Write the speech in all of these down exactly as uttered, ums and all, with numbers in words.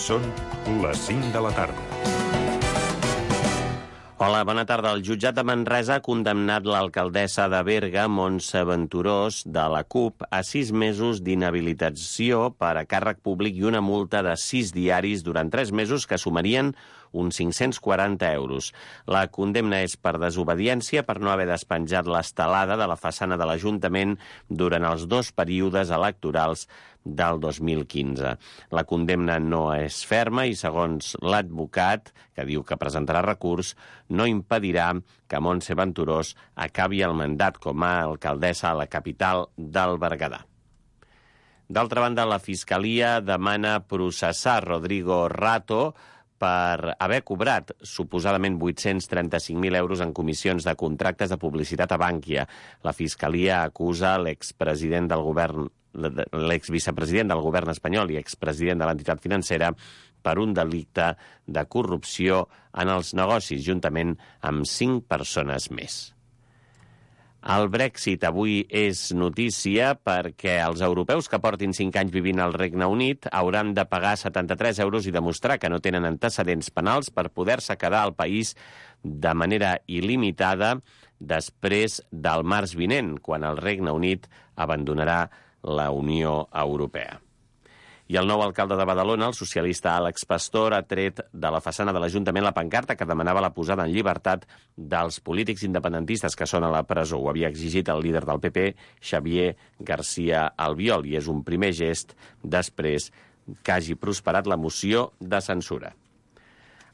Són les cinc de la tarda. Hola, bona tarda. El jutjat de Manresa ha condemnat l'alcaldessa de Berga, Montse Venturós, de la CUP, a sis mesos d'inhabilitació per a càrrec públic i una multa de sis diaris durant tres mesos que sumarien uns cinc-cents quaranta euros. La condemna és per desobediència per no haver despenjat l'estelada de la façana de l'Ajuntament durant els dos períodes electorals del dos mil quinze. La condemna no és ferma i, segons l'advocat, que diu que presentarà recurs, no impedirà que Montse Venturós acabi el mandat com a alcaldessa a la capital del Berguedà. D'altra banda, la Fiscalia demana processar Rodrigo Rato per haver cobrat suposadament vuit-cents trenta-cinc mil euros en comissions de contractes de publicitat a Bankia. La Fiscalia acusa l'expresident del govern, l'exvicepresident del govern espanyol i expresident de l'entitat financera per un delicte de corrupció en els negocis, juntament amb cinc persones més. El Brexit avui és notícia perquè els europeus que portin cinc anys vivint al Regne Unit hauran de pagar setanta-tres euros i demostrar que no tenen antecedents penals per poder-se quedar al país de manera il·limitada després del març vinent, quan el Regne Unit abandonarà la Unió Europea. I el nou alcalde de Badalona, el socialista Àlex Pastor, ha tret de la façana de l'Ajuntament la pancarta que demanava la posada en llibertat dels polítics independentistes que són a la presó. Ho havia exigit el líder del P P, Xavier García Albiol, i és un primer gest després que hagi prosperat la moció de censura.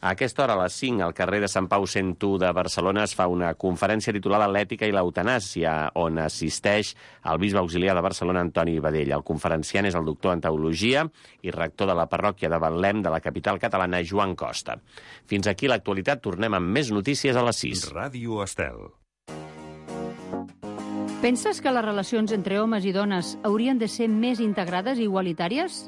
A aquesta hora, a les cinc, al carrer de Sant Pau cent u de Barcelona, es fa una conferència titulada L'ètica i l'eutanàsia, on assisteix el bisbe auxiliar de Barcelona, Antoni Badell. El conferenciant és el doctor en teologia i rector de la parròquia de Betlem de la capital catalana, Joan Costa. Fins aquí l'actualitat. Tornem amb més notícies a les sis. Ràdio Estel. Penses que les relacions entre homes i dones haurien de ser més integrades i igualitàries?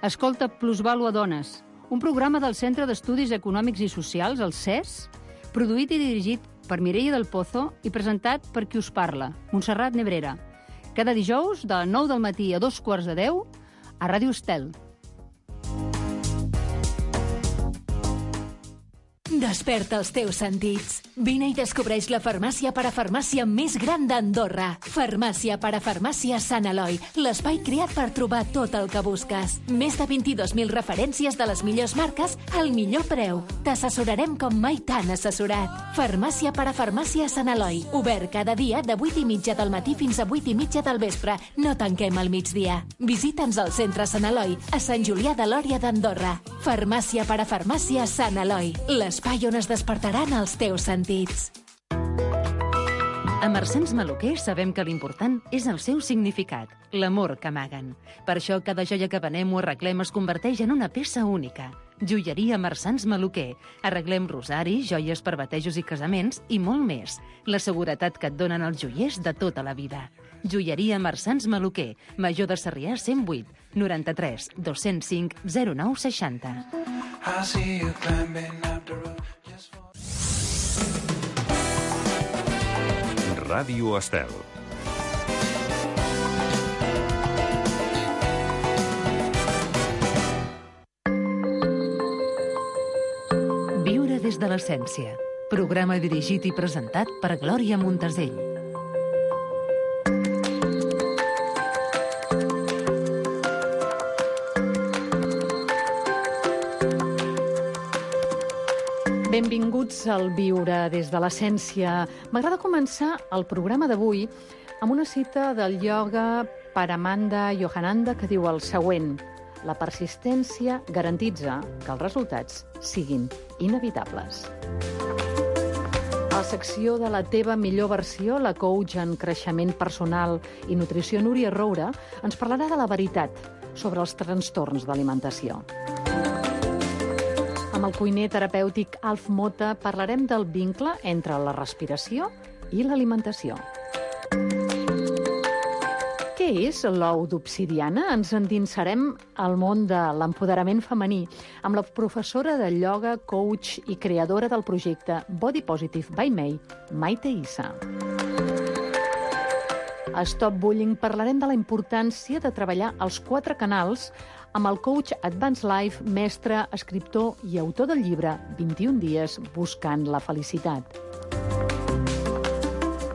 Escolta Plusvàlua Dones, un programa del Centre d'Estudis Econòmics i Socials, el C E S, produït i dirigit per Mireia del Pozo i presentat per qui us parla, Montserrat Nebrera. Cada dijous, de nou del matí a dos quarts de deu, a Ràdio Estel. Desperta els teus sentits. Vine i descobreix la farmàcia parafarmàcia més gran d'Andorra. Farmàcia parafarmàcia Sant Eloi, l'espai creat per trobar tot el que busques. Més de vint-i-dos mil referències de les millors marques al millor preu. T'assessorarem com mai t'han assessorat. Farmàcia parafarmàcia Sant Eloi, obert cada dia de vuit i mitja del matí fins a vuit i mitja del vespre. No tanquem al migdia. Visita'ns al centre Sant Eloi, a Sant Julià de Lòria d'Andorra. Farmàcia parafarmàcia Sant Eloi, l'espai on es despertaran els teus sentits. A Marsans Maluquer sabem que l'important és el seu significat, l'amor que amaguen. Per això cada joia que venem o arreglem es converteix en una peça única. Joieria Marsans Maluquer. Arreglem rosaris, joies per batejos i casaments i molt més. La seguretat que et donen els joiers de tota la vida. Joieria Marsans Maluquer, Major de Sarrià cent vuit, noranta-tres, dos-cents cinc, zero nou seixanta. Ràdio Estel. Viure des de l'essència. Programa dirigit i presentat per Glòria Montesell. Benvinguts al Viure des de l'essència. M'agrada començar el programa d'avui amb una cita del ioga Paramanda Yogananda que diu el següent: la persistència garantitza que els resultats siguin inevitables. A la secció de la teva millor versió, la coach en creixement personal i nutrició Núria Roura ens parlarà de la veritat sobre els trastorns d'alimentació. Amb el cuiner terapèutic Alf Mota parlarem del vincle entre la respiració i l'alimentació. Què és l'ou d'obsidiana? Ens endinsarem al món de l'empoderament femení amb la professora de ioga, coach i creadora del projecte Body Positive by May, Maite Issa. A Stop Bullying parlarem de la importància de treballar als quatre canals amb el coach Advanced Life, mestre, escriptor i autor del llibre vint-i-un dies buscant la felicitat.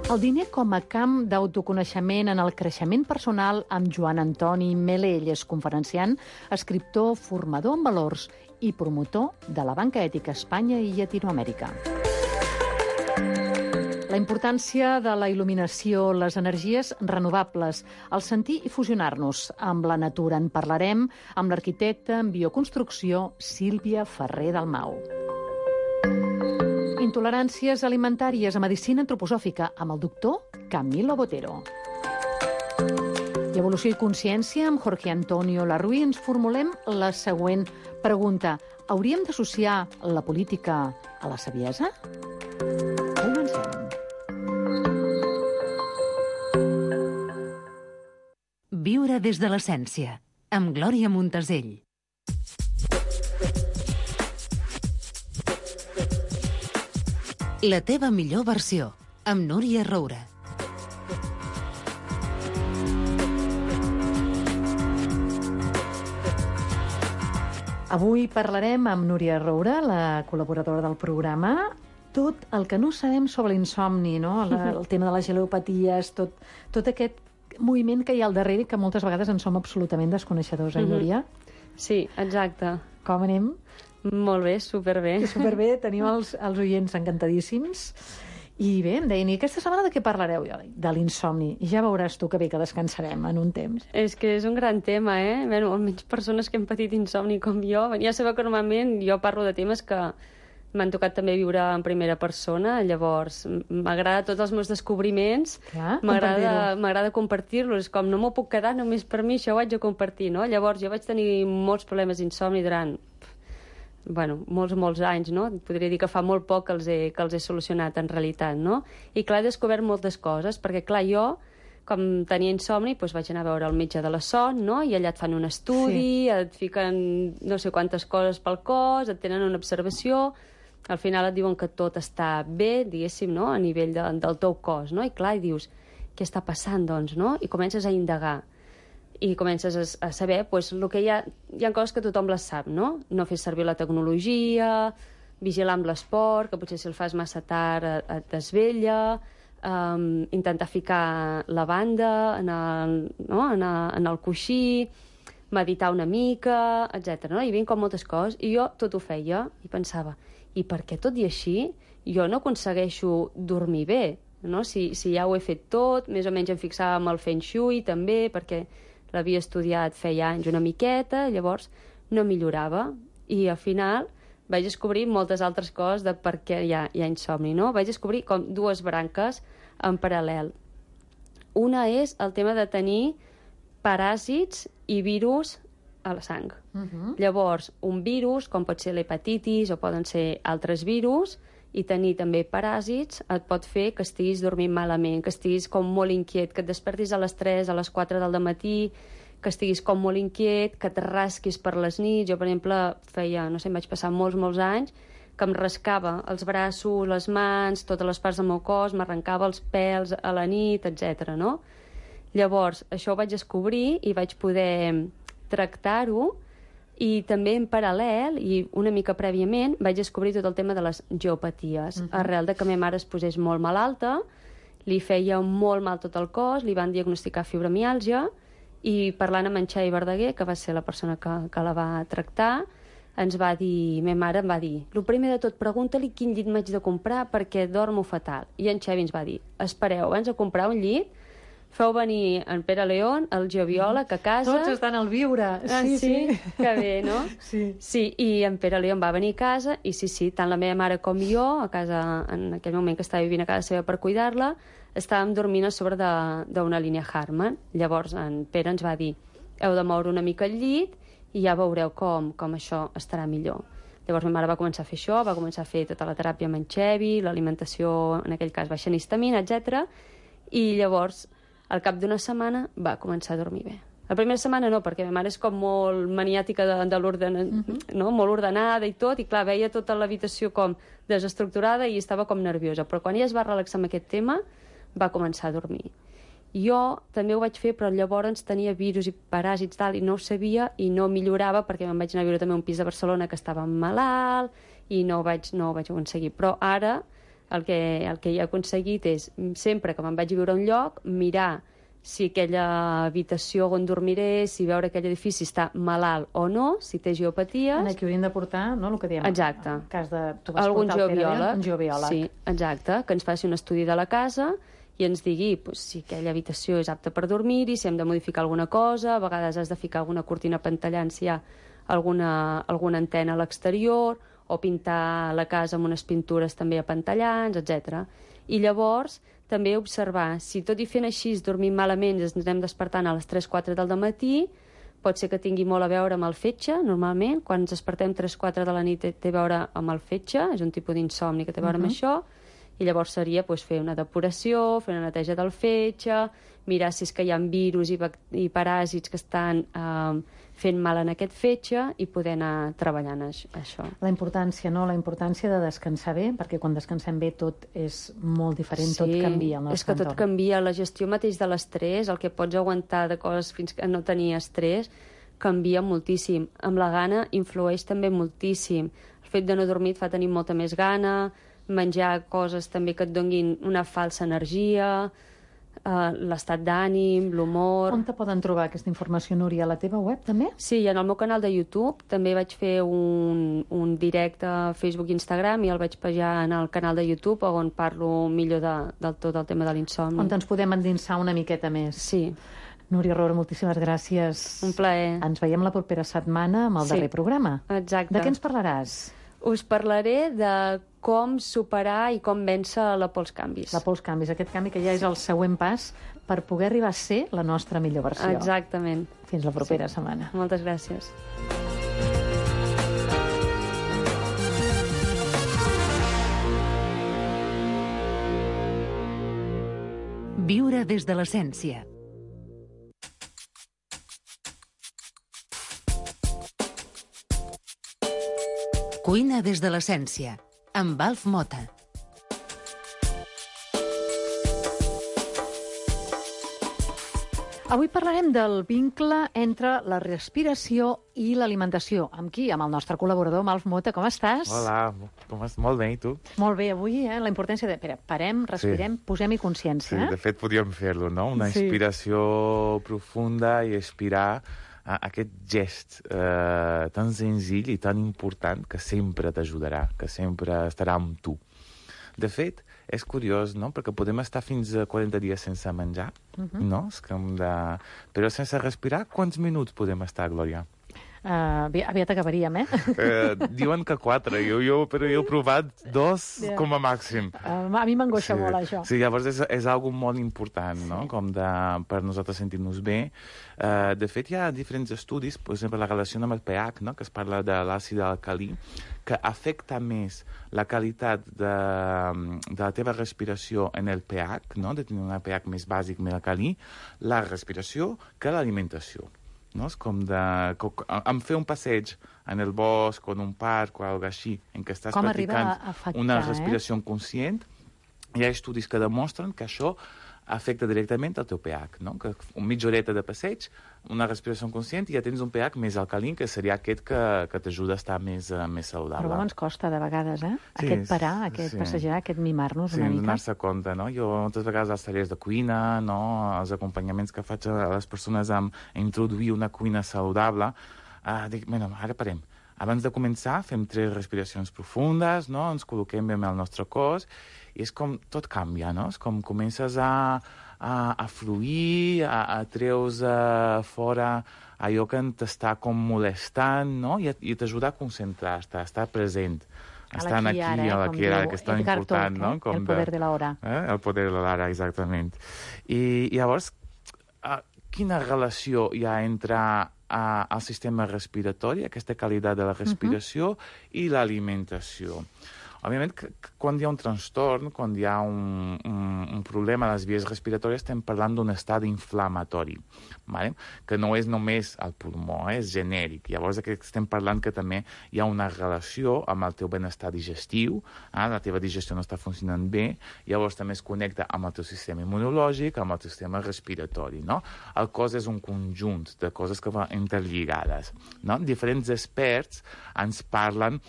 El diner com a camp d'autoconeixement en el creixement personal amb Joan Antoni Melell, és conferenciant, escriptor, formador en valors i promotor de la banca ètica a Espanya i Llatinoamèrica. La importància de la il·luminació, les energies renovables, el sentir i fusionar-nos amb la natura. En parlarem amb l'arquitecta en bioconstrucció Sílvia Ferrer Dalmau. Intoleràncies alimentàries a medicina antroposòfica amb el doctor Camilo Botero. I evolució i consciència amb Jorge Antonio Larruy ens formulem la següent pregunta. Hauríem d'associar la política a la saviesa? Comencem. Viure des de l'essència, amb Glòria Montesell. La teva millor versió, amb Núria Roura. Avui parlarem amb Núria Roura, la col·laboradora del programa, tot el que no sabem sobre l'insomni, no? La, el tema de les gelopaties, tot, tot aquest moviment que hi ha al darrere que moltes vegades en som absolutament desconeixedors, eh, Núria? Sí, exacte. Com anem? Molt bé, superbé. Superbé, tenim els, els oients encantadíssims. I bé, em deien, i aquesta setmana de què parlareu? De l'insomni. I ja veuràs tu que bé que descansarem en un temps. És que és un gran tema, eh? Bé, almenys persones que han patit insomni com jo. Ja sabeu que normalment jo parlo de temes que m'han tocat també viure en primera persona, llavors m'agrada tots els meus descobriments, m'agrada compartir-los, com no m'ho puc quedar només per mi, això ho haig de compartir, no? Llavors jo vaig tenir molts problemes d'insomni durant, bueno, molts, molts anys, no? Podria dir que fa molt poc que els he, que els he solucionat en realitat, no? I clar, he descobert moltes coses, perquè clar, jo, com tenia insomni, doncs vaig anar a veure el metge de la son, no? I allà et fan un estudi, sí. Et fiquen no sé quantes coses pel cos, et tenen una observació. Al final et diuen que tot està bé, diguéssim, no?, a nivell de, del teu cos, no? I clar, i dius, què està passant, doncs, no? I comences a indagar. I comences a, a saber, doncs, el que hi ha... Hi ha coses que tothom les sap, no? No fer servir la tecnologia, vigilar amb l'esport, que potser si el fas massa tard et desvella, um, intentar ficar la banda en el, no? en, el, en el coixí, meditar una mica, etcètera. No? Hi havia com moltes coses, i jo tot ho feia, i pensava, i per què tot i així jo no aconsegueixo dormir bé, no? Si, si ja ho he fet tot, més o menys em fixava amb el Feng Shui també, perquè l'havia estudiat feia anys una miqueta, llavors no millorava, i al final vaig descobrir moltes altres coses de per què hi ha, hi ha insomni, no? Vaig descobrir com dues branques en paral·lel. Una és el tema de tenir paràsits i virus a la sang. Uh-huh. Llavors, un virus, com pot ser l'hepatitis o poden ser altres virus, i tenir també paràsits et pot fer que estiguis dormint malament, que estiguis com molt inquiet, que et despertis a les tres, a les quatre del matí, que estiguis com molt inquiet, que et rasquis per les nits. Jo, per exemple, feia, no sé, em vaig passar molts, molts anys, que em rascava els braços, les mans, totes les parts del meu cos, m'arrencava els pèls a la nit, etcètera, no? Llavors, això ho vaig descobrir i vaig poder tractar-ho, i també en paral·lel, i una mica prèviament, vaig descobrir tot el tema de les geopaties. Uh-huh. Arrel de que ma mare es posés molt malalta, li feia molt mal tot el cos, li van diagnosticar fibromiàlgia, i parlant amb en Xavi Verdaguer, que va ser la persona que, que la va tractar, ens va dir, ma mare em va dir, el primer de tot, pregunta-li quin llit m'haig de comprar perquè dormo fatal. I en Xavi ens va dir, espereu, abans de comprar un llit, feu venir en Pere León, el geobiòleg, a casa... Tots estan al viure. Ah, sí, sí, sí. Que bé, no? Sí. Sí, i en Pere León va venir a casa, i sí, sí, tant la meva mare com jo, a casa, en aquell moment que estava vivint a casa seva per cuidar-la, estàvem dormint a sobre d'una línia Harman. Llavors en Pere ens va dir, heu de moure una mica el llit i ja veureu com, com això estarà millor. Llavors ma mare va començar a fer això, va començar a fer tota la teràpia amb en Xevi, l'alimentació, en aquell cas, baixant histamina, etcètera. I llavors, al cap d'una setmana, va començar a dormir bé. La primera setmana no, perquè ma mare és com molt maniàtica de, de l'ordenament, uh-huh. no? Molt ordenada i tot, i clar, veia tota l'habitació com desestructurada i estava com nerviosa. Però quan ella es va relaxar amb aquest tema, va començar a dormir. Jo també ho vaig fer, però llavors tenia virus i paràsits tal, i no ho sabia i no millorava perquè me'n vaig anar a viure també a un pis de Barcelona que estava malalt i no ho vaig, no ho vaig aconseguir. Però ara el que, el que he aconseguit és, sempre que me'n vaig a viure a un lloc, mirar si aquella habitació on dormiré, si veure aquell edifici està malalt o no, si té geopaties... En aquí hauríem de portar, no?, el que diem. Exacte. En cas de... Tu vas algun portar el geobiòleg. un geobiòleg. Sí, exacte, que ens faci un estudi de la casa i ens digui pues, si aquella habitació és apta per dormir-hi, si hem de modificar alguna cosa, a vegades has de ficar alguna cortina pantallant si hi ha alguna, alguna antena a l'exterior, o pintar la casa amb unes pintures també apantallants, etcètera. I llavors també observar si tot i fent així dormim malament i ens anem despertant a les tres quatre del matí, pot ser que tingui molt a veure amb el fetge, normalment, quan ens despertem tres quatre de la nit té a veure amb el fetge, és un tipus d'insomni que té a veure uh-huh. amb això, i llavors seria pues, fer una depuració, fer una neteja del fetge, mirar si és que hi ha virus i, i paràsits que estan eh, fent mal en aquest fetge i poder anar treballant això. La importància, no? La importància de descansar bé, perquè quan descansem bé tot és molt diferent, sí, tot canvia al nostre és que tot entorn. canvia. La gestió mateix de l'estrès, el que pots aguantar de coses fins que no tenia estrès, canvia moltíssim. Amb la gana influeix també moltíssim. El fet de no dormir et fa tenir molta més gana, menjar coses també que et donguin una falsa energia, uh, l'estat d'ànim, l'humor... On te poden trobar aquesta informació, Núria? A la teva web, també? Sí, en el meu canal de YouTube. També vaig fer un, un directe a Facebook i Instagram i el vaig penjar en el canal de YouTube on parlo millor de, del tot el tema de l'insomni. On ens podem endinsar una miqueta més. Sí. Núria Roura, moltíssimes gràcies. Un plaer. Ens veiem la propera setmana amb el sí. darrer programa. Exacte. De què ens parlaràs? Us parlaré de com superar i com vèncer la por als canvis. La por als canvis, aquest canvi que ja és el següent pas per poder arribar a ser la nostra millor versió. Exactament. Fins la propera sí. setmana. Moltes gràcies. Viure des de l'essència. Cuina des de l'essència, amb Alf Mota. Avui parlarem del vincle entre la respiració i l'alimentació. Amb qui? Amb el nostre col·laborador, amb Alf Mota. Com estàs? Hola, com estàs? Molt bé, i tu? Molt bé, avui eh, la importància de... Espera, parem, respirem, sí. posem-hi consciència. Sí, de fet podríem fer-lo, no? Una sí. inspiració profunda i expirar a aquest gest eh, tan senzill i tan important que sempre t'ajudarà, que sempre estarà amb tu. De fet, és curiós, no?, perquè podem estar fins a quaranta dies sense menjar, uh-huh. no? És com de... Però sense respirar, quants minuts podem estar, Glòria? Uh, aviat acabaríem, eh? eh? Diuen que quatre, jo, jo, però jo he provat dos yeah. com a màxim. Uh, a mi m'angoixa sí. molt, això. Sí, llavors és, és algo molt important, sí. no?, com de, per nosaltres sentir-nos bé. Uh, de fet, hi ha diferents estudis, per exemple, la relació amb el pH, no?, que es parla de l'àcid alcalí, que afecta més la qualitat de, de la teva respiració en el pH, no?, de tenir un pH més bàsic, més alcalí, la respiració, que l'alimentació. No? És com de... Em fer un passeig en el bosc o en un parc o alguna així, en què estàs com practicant afectar, una respiració eh? conscient, hi ha estudis que demostren que això afecta directament el teu pH, no? Que una mitja horeta de passeig, una respiració conscient i ja tens un pH més alcalí, que seria aquest que, que t'ajuda a estar més, uh, més saludable. Però com ens costa de vegades, eh? Sí, aquest parar, aquest sí. passejar, aquest mimar-nos sí, una mica. Sí, donar-se compte, no? Jo moltes vegades als tallers de cuina, no?, els acompanyaments que faig a les persones amb introduir una cuina saludable, uh, dic, bueno, ara parem. Abans de començar fem tres respiracions profundes, no?, ens col·loquem bé amb el nostre cos, i és com tot canvia, no? És com comences a, a, a fluir, a, a treus a fora allò que t'està com molestant, no? I, i t'ajuda a concentrar-te, a estar present, a estar aquí, ara, eh? a l'aquí, ara, que és tan Edgar important, Tolle, no? Eh? Com el poder de, de l'hora. Eh? El poder de l'hora, exactament. I, i llavors, uh, quina relació hi ha entre uh, el sistema respiratori, aquesta qualitat de la respiració, uh-huh. i l'alimentació? òbviament, que, que quan hi ha un trastorn, quan hi ha un, un, un problema a les vies respiratòries, estem parlant d'un estat inflamatori, vale? Que no és només el pulmó, eh? És genèric. Llavors aquí estem parlant que també hi ha una relació amb el teu benestar digestiu, eh? La teva digestió no està funcionant bé, llavors també es connecta amb el teu sistema immunològic, amb el teu sistema respiratori, no? El cos és un conjunt de coses que van interlligades, no? Diferents experts ens parlen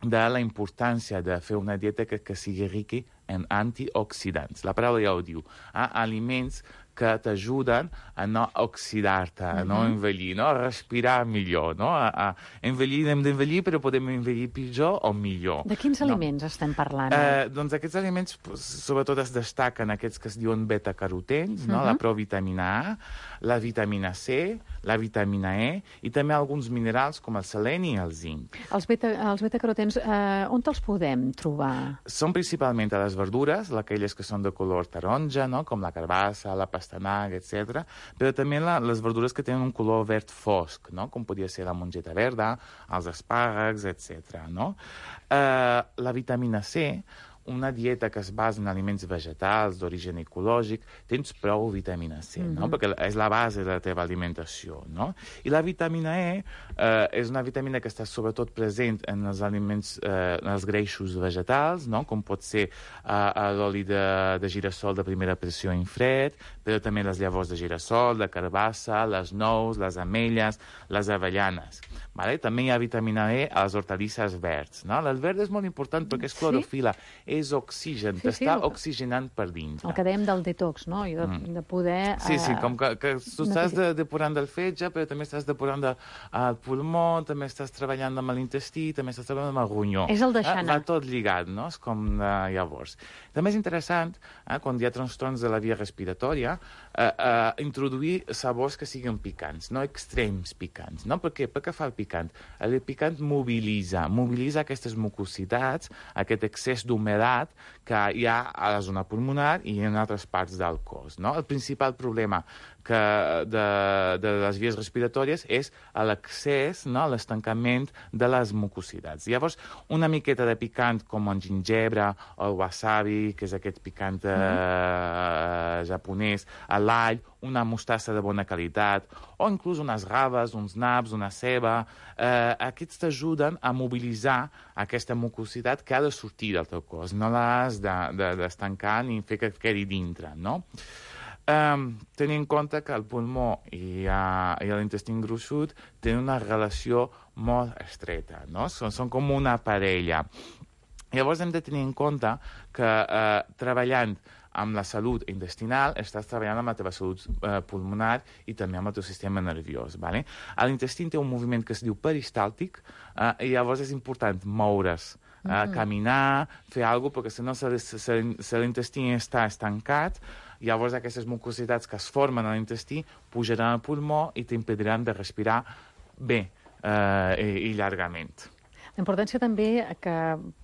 de la importància de fer una dieta que, que sigui rica en antioxidants. La paraula ja ho diu. Eh? Aliments que t'ajuden a no oxidar-te, a no envellir, no? A respirar millor, no? A, a envellir, hem d'envellir, però podem envellir pitjor o millor. De quins no? aliments estem parlant? Eh, doncs aquests aliments, sobretot es destaquen aquests que es diuen beta-carotens, no? Uh-huh. La provitamina A, la vitamina C, la vitamina E i també alguns minerals com el seleni i el zinc. Els beta, els beta-carotens, eh, on te'ls podem trobar? Són principalment a les verdures, aquelles que són de color taronja, no? Com la carbassa, la pastanaga, etcètera, però també la, les verdures que tenen un color verd fosc, no? Com podria ser la mongeta verda, els espàrrecs, etcètera, no? Eh, la vitamina C, una dieta que es basa en aliments vegetals d'origen ecològic, tens prou vitamina C, mm-hmm. no? Perquè és la base de la teva alimentació, no? I la vitamina E eh, és una vitamina que està sobretot present en els aliments, eh, en els greixos vegetals, no? Com pot ser eh, l'oli de, de girassol de primera pressió en fred, però també les llavors de girassol, de carbassa, les nous, les ametlles, les avellanes. Vale? També hi ha vitamina E a les hortalisses verds, no? El verd és molt important perquè és clorofila, sí. És oxigen, sí, t'està sí, oxigenant per dintre. El que dèiem del detox, no? I de, mm. de poder... Sí, sí, com que, que tu estàs de, depurant del fetge, però també estàs depurant del de, pulmó, també estàs treballant amb l'intestí, també estàs treballant amb el ronyó. És el deixar anar. Va tot lligat, no? És com uh, llavors. També és interessant, eh, quan hi ha trastorns de la via respiratòria, eh, eh, introduir sabors que siguin picants, no extrems picants, no? Per què? Perquè fa el picant. El picant mobilitza, mobilitza aquestes mucositats, aquest excés d'humedat que hi ha a la zona pulmonar i en altres parts del cos, no? El principal problema que de, de les vies respiratòries és l'accés, no? L'estancament de les mucositats. Llavors, una miqueta de picant com el gingebre o el wasabi, que és aquest picant eh, mm. japonès, l'all, una mostassa de bona qualitat, o inclús unes raves, uns naps, una ceba. Eh, aquests t'ajuden a mobilitzar aquesta mucositat que ha de sortir del teu cos. No l'has d'estancar de, de, ni fer que et quedi dintre, no? Um, tenir en compte que el pulmó i, uh, i l'intestí gruixut tenen una relació molt estreta, no? Són, són com una parella. Llavors hem de tenir en compte que uh, treballant amb la salut intestinal estàs treballant amb la teva salut uh, pulmonar i també amb el teu sistema nerviós. Vale? L'intestí té un moviment que es diu peristàltic uh, i llavors és important moure's. Uh, caminar, fer alguna cosa, perquè si no, si l'intestí està estancat, llavors aquestes mucositats que es formen a l'intestí pujaran al pulmó i t'impediran de respirar bé uh, i, i llargament. La importància també que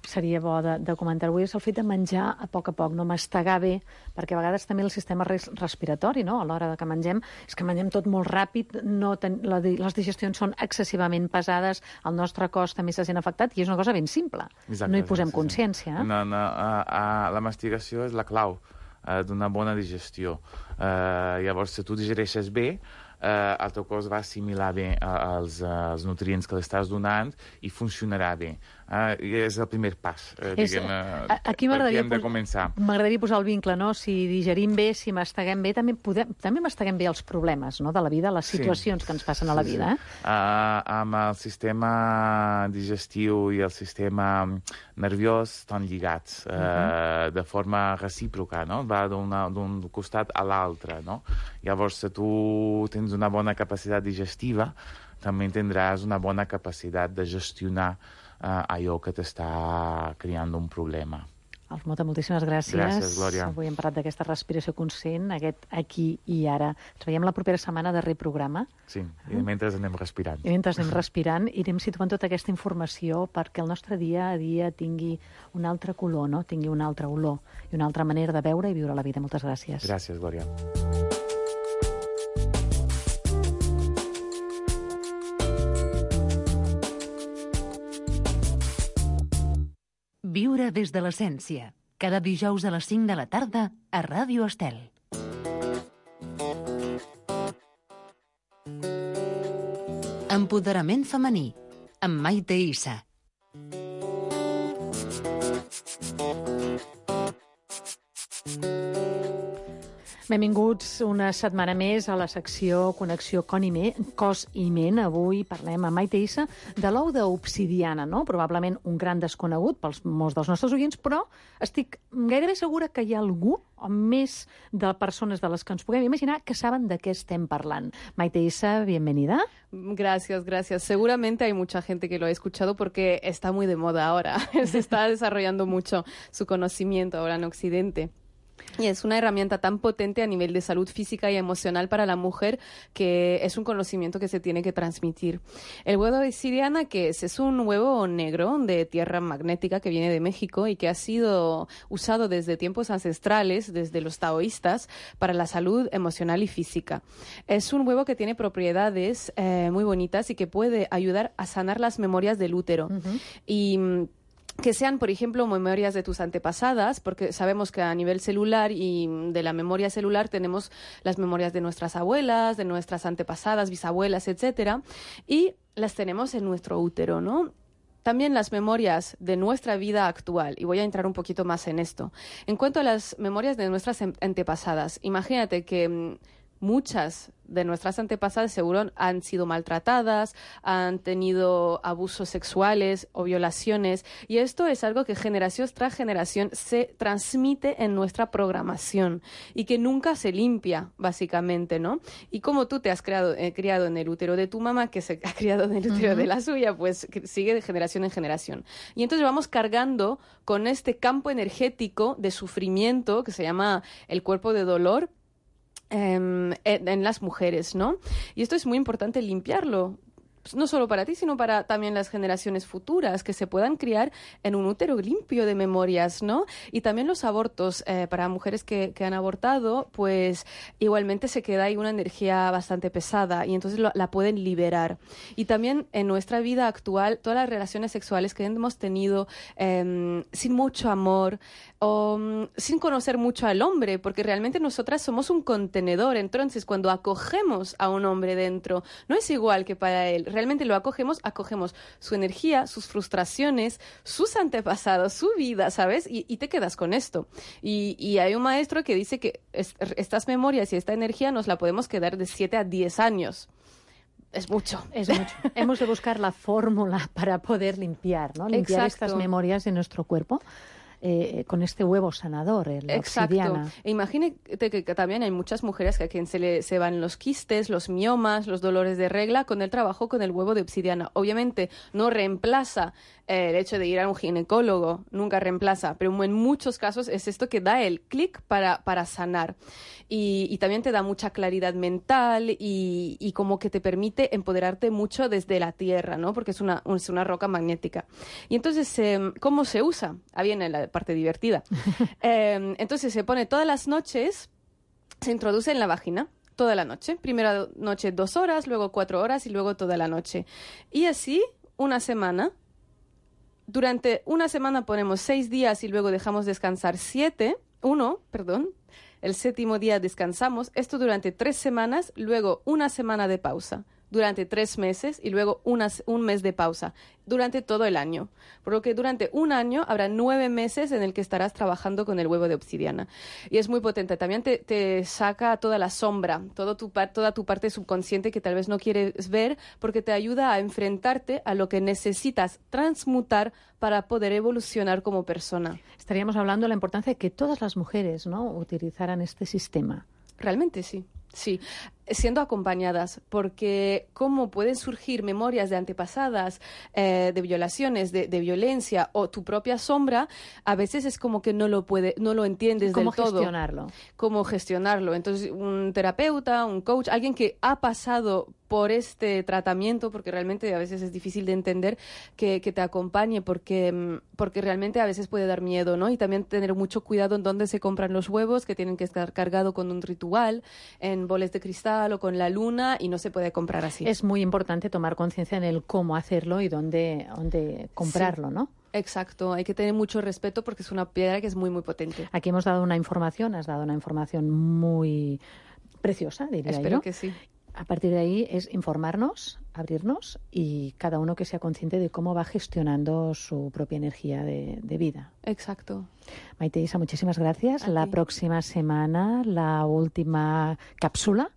seria bo de, de comentar avui és el fet de menjar a poc a poc, no mastegar bé, perquè a vegades també el sistema res, respiratori, no? A l'hora de que mengem, és que mengem tot molt ràpid, no ten, la, les digestions són excessivament pesades, el nostre cos també se sent afectat, i és una cosa ben simple. Exacte, no hi posem sí, consciència. Sí. No, no, uh, uh, la mastigació és la clau uh, d'una bona digestió. Uh, llavors, si tu digereixes bé, Uh, el teu cos va assimilar bé uh, els, uh, els nutrients que l'estàs donant i funcionarà bé. Uh, és el primer pas, uh, és, diguem, uh, aquí m'agradaria hem de començar. M'agradaria posar el vincle, no? Si digerim bé, si masteguem bé, també, podem, també masteguem bé els problemes, no? De la vida, les situacions sí. que ens passen a la vida. Sí, sí. Eh? Uh, amb el sistema digestiu i el sistema nerviós estan lligats uh, uh-huh. de forma recíproca, no? Va d'un costat a l'altre, no? Llavors, si tu tens una bona capacitat digestiva, també tindràs una bona capacitat de gestionar uh, allò que t'està creant un problema. Alf Mota, moltíssimes gràcies. Gràcies, Glòria. Avui hem parlat d'aquesta respiració conscient, aquest aquí i ara. Ens veiem la propera setmana, darrer programa. Sí, i mentre anem respirant. I mentre anem respirant, irem situant tota aquesta informació perquè el nostre dia a dia tingui un altre color, no? Tingui una altra olor i una altra manera de veure i viure la vida. Moltes gràcies. Gràcies, Glòria. Viure des de l'essència. Cada dijous a les cinc de la tarda a Ràdio Estel. Empoderament femení, amb Maite Issa. Benvinguts una setmana més a la secció Connexió Cos i Ment. Avui parlem amb Maite Issa de l'ou d'obsidiana, no? Probablement un gran desconegut pels molts dels nostres oients, però estic gairebé segura que hi ha algú o més de persones de les que ens puguem imaginar que saben de què estem parlant. Maite Issa, bienvenida. Gracias, gracias. Seguramente hay mucha gente que lo ha escuchado porque está muy de moda ahora. Se está desarrollando mucho su conocimiento ahora en Occidente. Y es una herramienta tan potente a nivel de salud física y emocional para la mujer que es un conocimiento que se tiene que transmitir. El huevo de obsidiana, ¿qué es? Es un huevo negro de tierra magnética que viene de México y que ha sido usado desde tiempos ancestrales, desde los taoístas, para la salud emocional y física. Es un huevo que tiene propiedades eh, muy bonitas y que puede ayudar a sanar las memorias del útero. Uh-huh. Y que sean, por ejemplo, memorias de tus antepasadas, porque sabemos que a nivel celular y de la memoria celular tenemos las memorias de nuestras abuelas, de nuestras antepasadas, bisabuelas, etcétera, y las tenemos en nuestro útero, ¿no? También las memorias de nuestra vida actual, y voy a entrar un poquito más en esto. En cuanto a las memorias de nuestras antepasadas, imagínate que muchas de nuestras antepasadas seguro han sido maltratadas, han tenido abusos sexuales o violaciones, y esto es algo que generación tras generación se transmite en nuestra programación y que nunca se limpia, básicamente, ¿no? Y como tú te has creado, eh, criado en el útero de tu mamá, que se ha criado en el útero uh-huh. de la suya, pues sigue de generación en generación. Y entonces vamos cargando con este campo energético de sufrimiento que se llama el cuerpo de dolor, En, en las mujeres, ¿no? Y esto es muy importante limpiarlo, pues no solo para ti, sino para también las generaciones futuras, que se puedan criar en un útero limpio de memorias, ¿no? Y también los abortos, eh, para mujeres que, que han abortado, pues igualmente se queda ahí una energía bastante pesada y entonces lo, la pueden liberar. Y también en nuestra vida actual, todas las relaciones sexuales que hemos tenido eh, sin mucho amor o um, sin conocer mucho al hombre, porque realmente nosotras somos un contenedor. Entonces, cuando acogemos a un hombre dentro, no es igual que para él. Realmente lo acogemos, acogemos su energía, sus frustraciones, sus antepasados, su vida, ¿sabes? Y, y te quedas con esto. Y, y hay un maestro que dice que es, estas memorias y esta energía nos la podemos quedar de siete a diez años. Es mucho. Es mucho. Hemos de buscar la fórmula para poder limpiar, ¿no? Limpiar Exacto. estas memorias de nuestro cuerpo. Eh, con este huevo sanador, el Exacto. obsidiana. E imagínate que, que también hay muchas mujeres que a quien se le se van los quistes, los miomas, los dolores de regla con el trabajo con el huevo de obsidiana. Obviamente no reemplaza eh, el hecho de ir a un ginecólogo, nunca reemplaza, pero en muchos casos es esto que da el clic para, para sanar. Y, y también te da mucha claridad mental y, y como que te permite empoderarte mucho desde la tierra, ¿no? Porque es una, es una roca magnética. Y entonces, eh, ¿cómo se usa? Ah, viene la parte divertida. eh, entonces se pone todas las noches, se introduce en la vagina toda la noche. Primera noche dos horas, luego cuatro horas y luego toda la noche. Y así una semana. Durante una semana ponemos seis días y luego dejamos descansar siete, uno, perdón. El séptimo día descansamos. Esto durante tres semanas, luego una semana de pausa. Durante tres meses y luego unas, un mes de pausa, durante todo el año. Por lo que durante un año habrá nueve meses en el que estarás trabajando con el huevo de obsidiana. Y es muy potente. También te, te saca toda la sombra, todo tu, toda tu parte subconsciente que tal vez no quieres ver, porque te ayuda a enfrentarte a lo que necesitas transmutar para poder evolucionar como persona. Estaríamos hablando de la importancia de que todas las mujeres, ¿no?, utilizaran este sistema. Realmente sí. Sí, siendo acompañadas, porque cómo pueden surgir memorias de antepasadas, eh, de violaciones, de, de violencia o tu propia sombra, a veces es como que no lo puede, no lo entiendes del todo. ¿Cómo gestionarlo? Cómo gestionarlo. Entonces, un terapeuta, un coach, alguien que ha pasado por este tratamiento, porque realmente a veces es difícil de entender, que, que te acompañe, porque, porque realmente a veces puede dar miedo, ¿no? Y también tener mucho cuidado en dónde se compran los huevos, que tienen que estar cargados con un ritual, en boles de cristal o con la luna, y no se puede comprar así. Es muy importante tomar conciencia en el cómo hacerlo y dónde, dónde comprarlo, sí. ¿no? Exacto, hay que tener mucho respeto porque es una piedra que es muy, muy potente. Aquí hemos dado una información, has dado una información muy preciosa, diría yo. Espero que sí. A partir de ahí es informarnos, abrirnos y cada uno que sea consciente de cómo va gestionando su propia energía de, de vida. Exacto. Maite Isa, muchísimas gracias. A la ti. próxima semana, la última cápsula.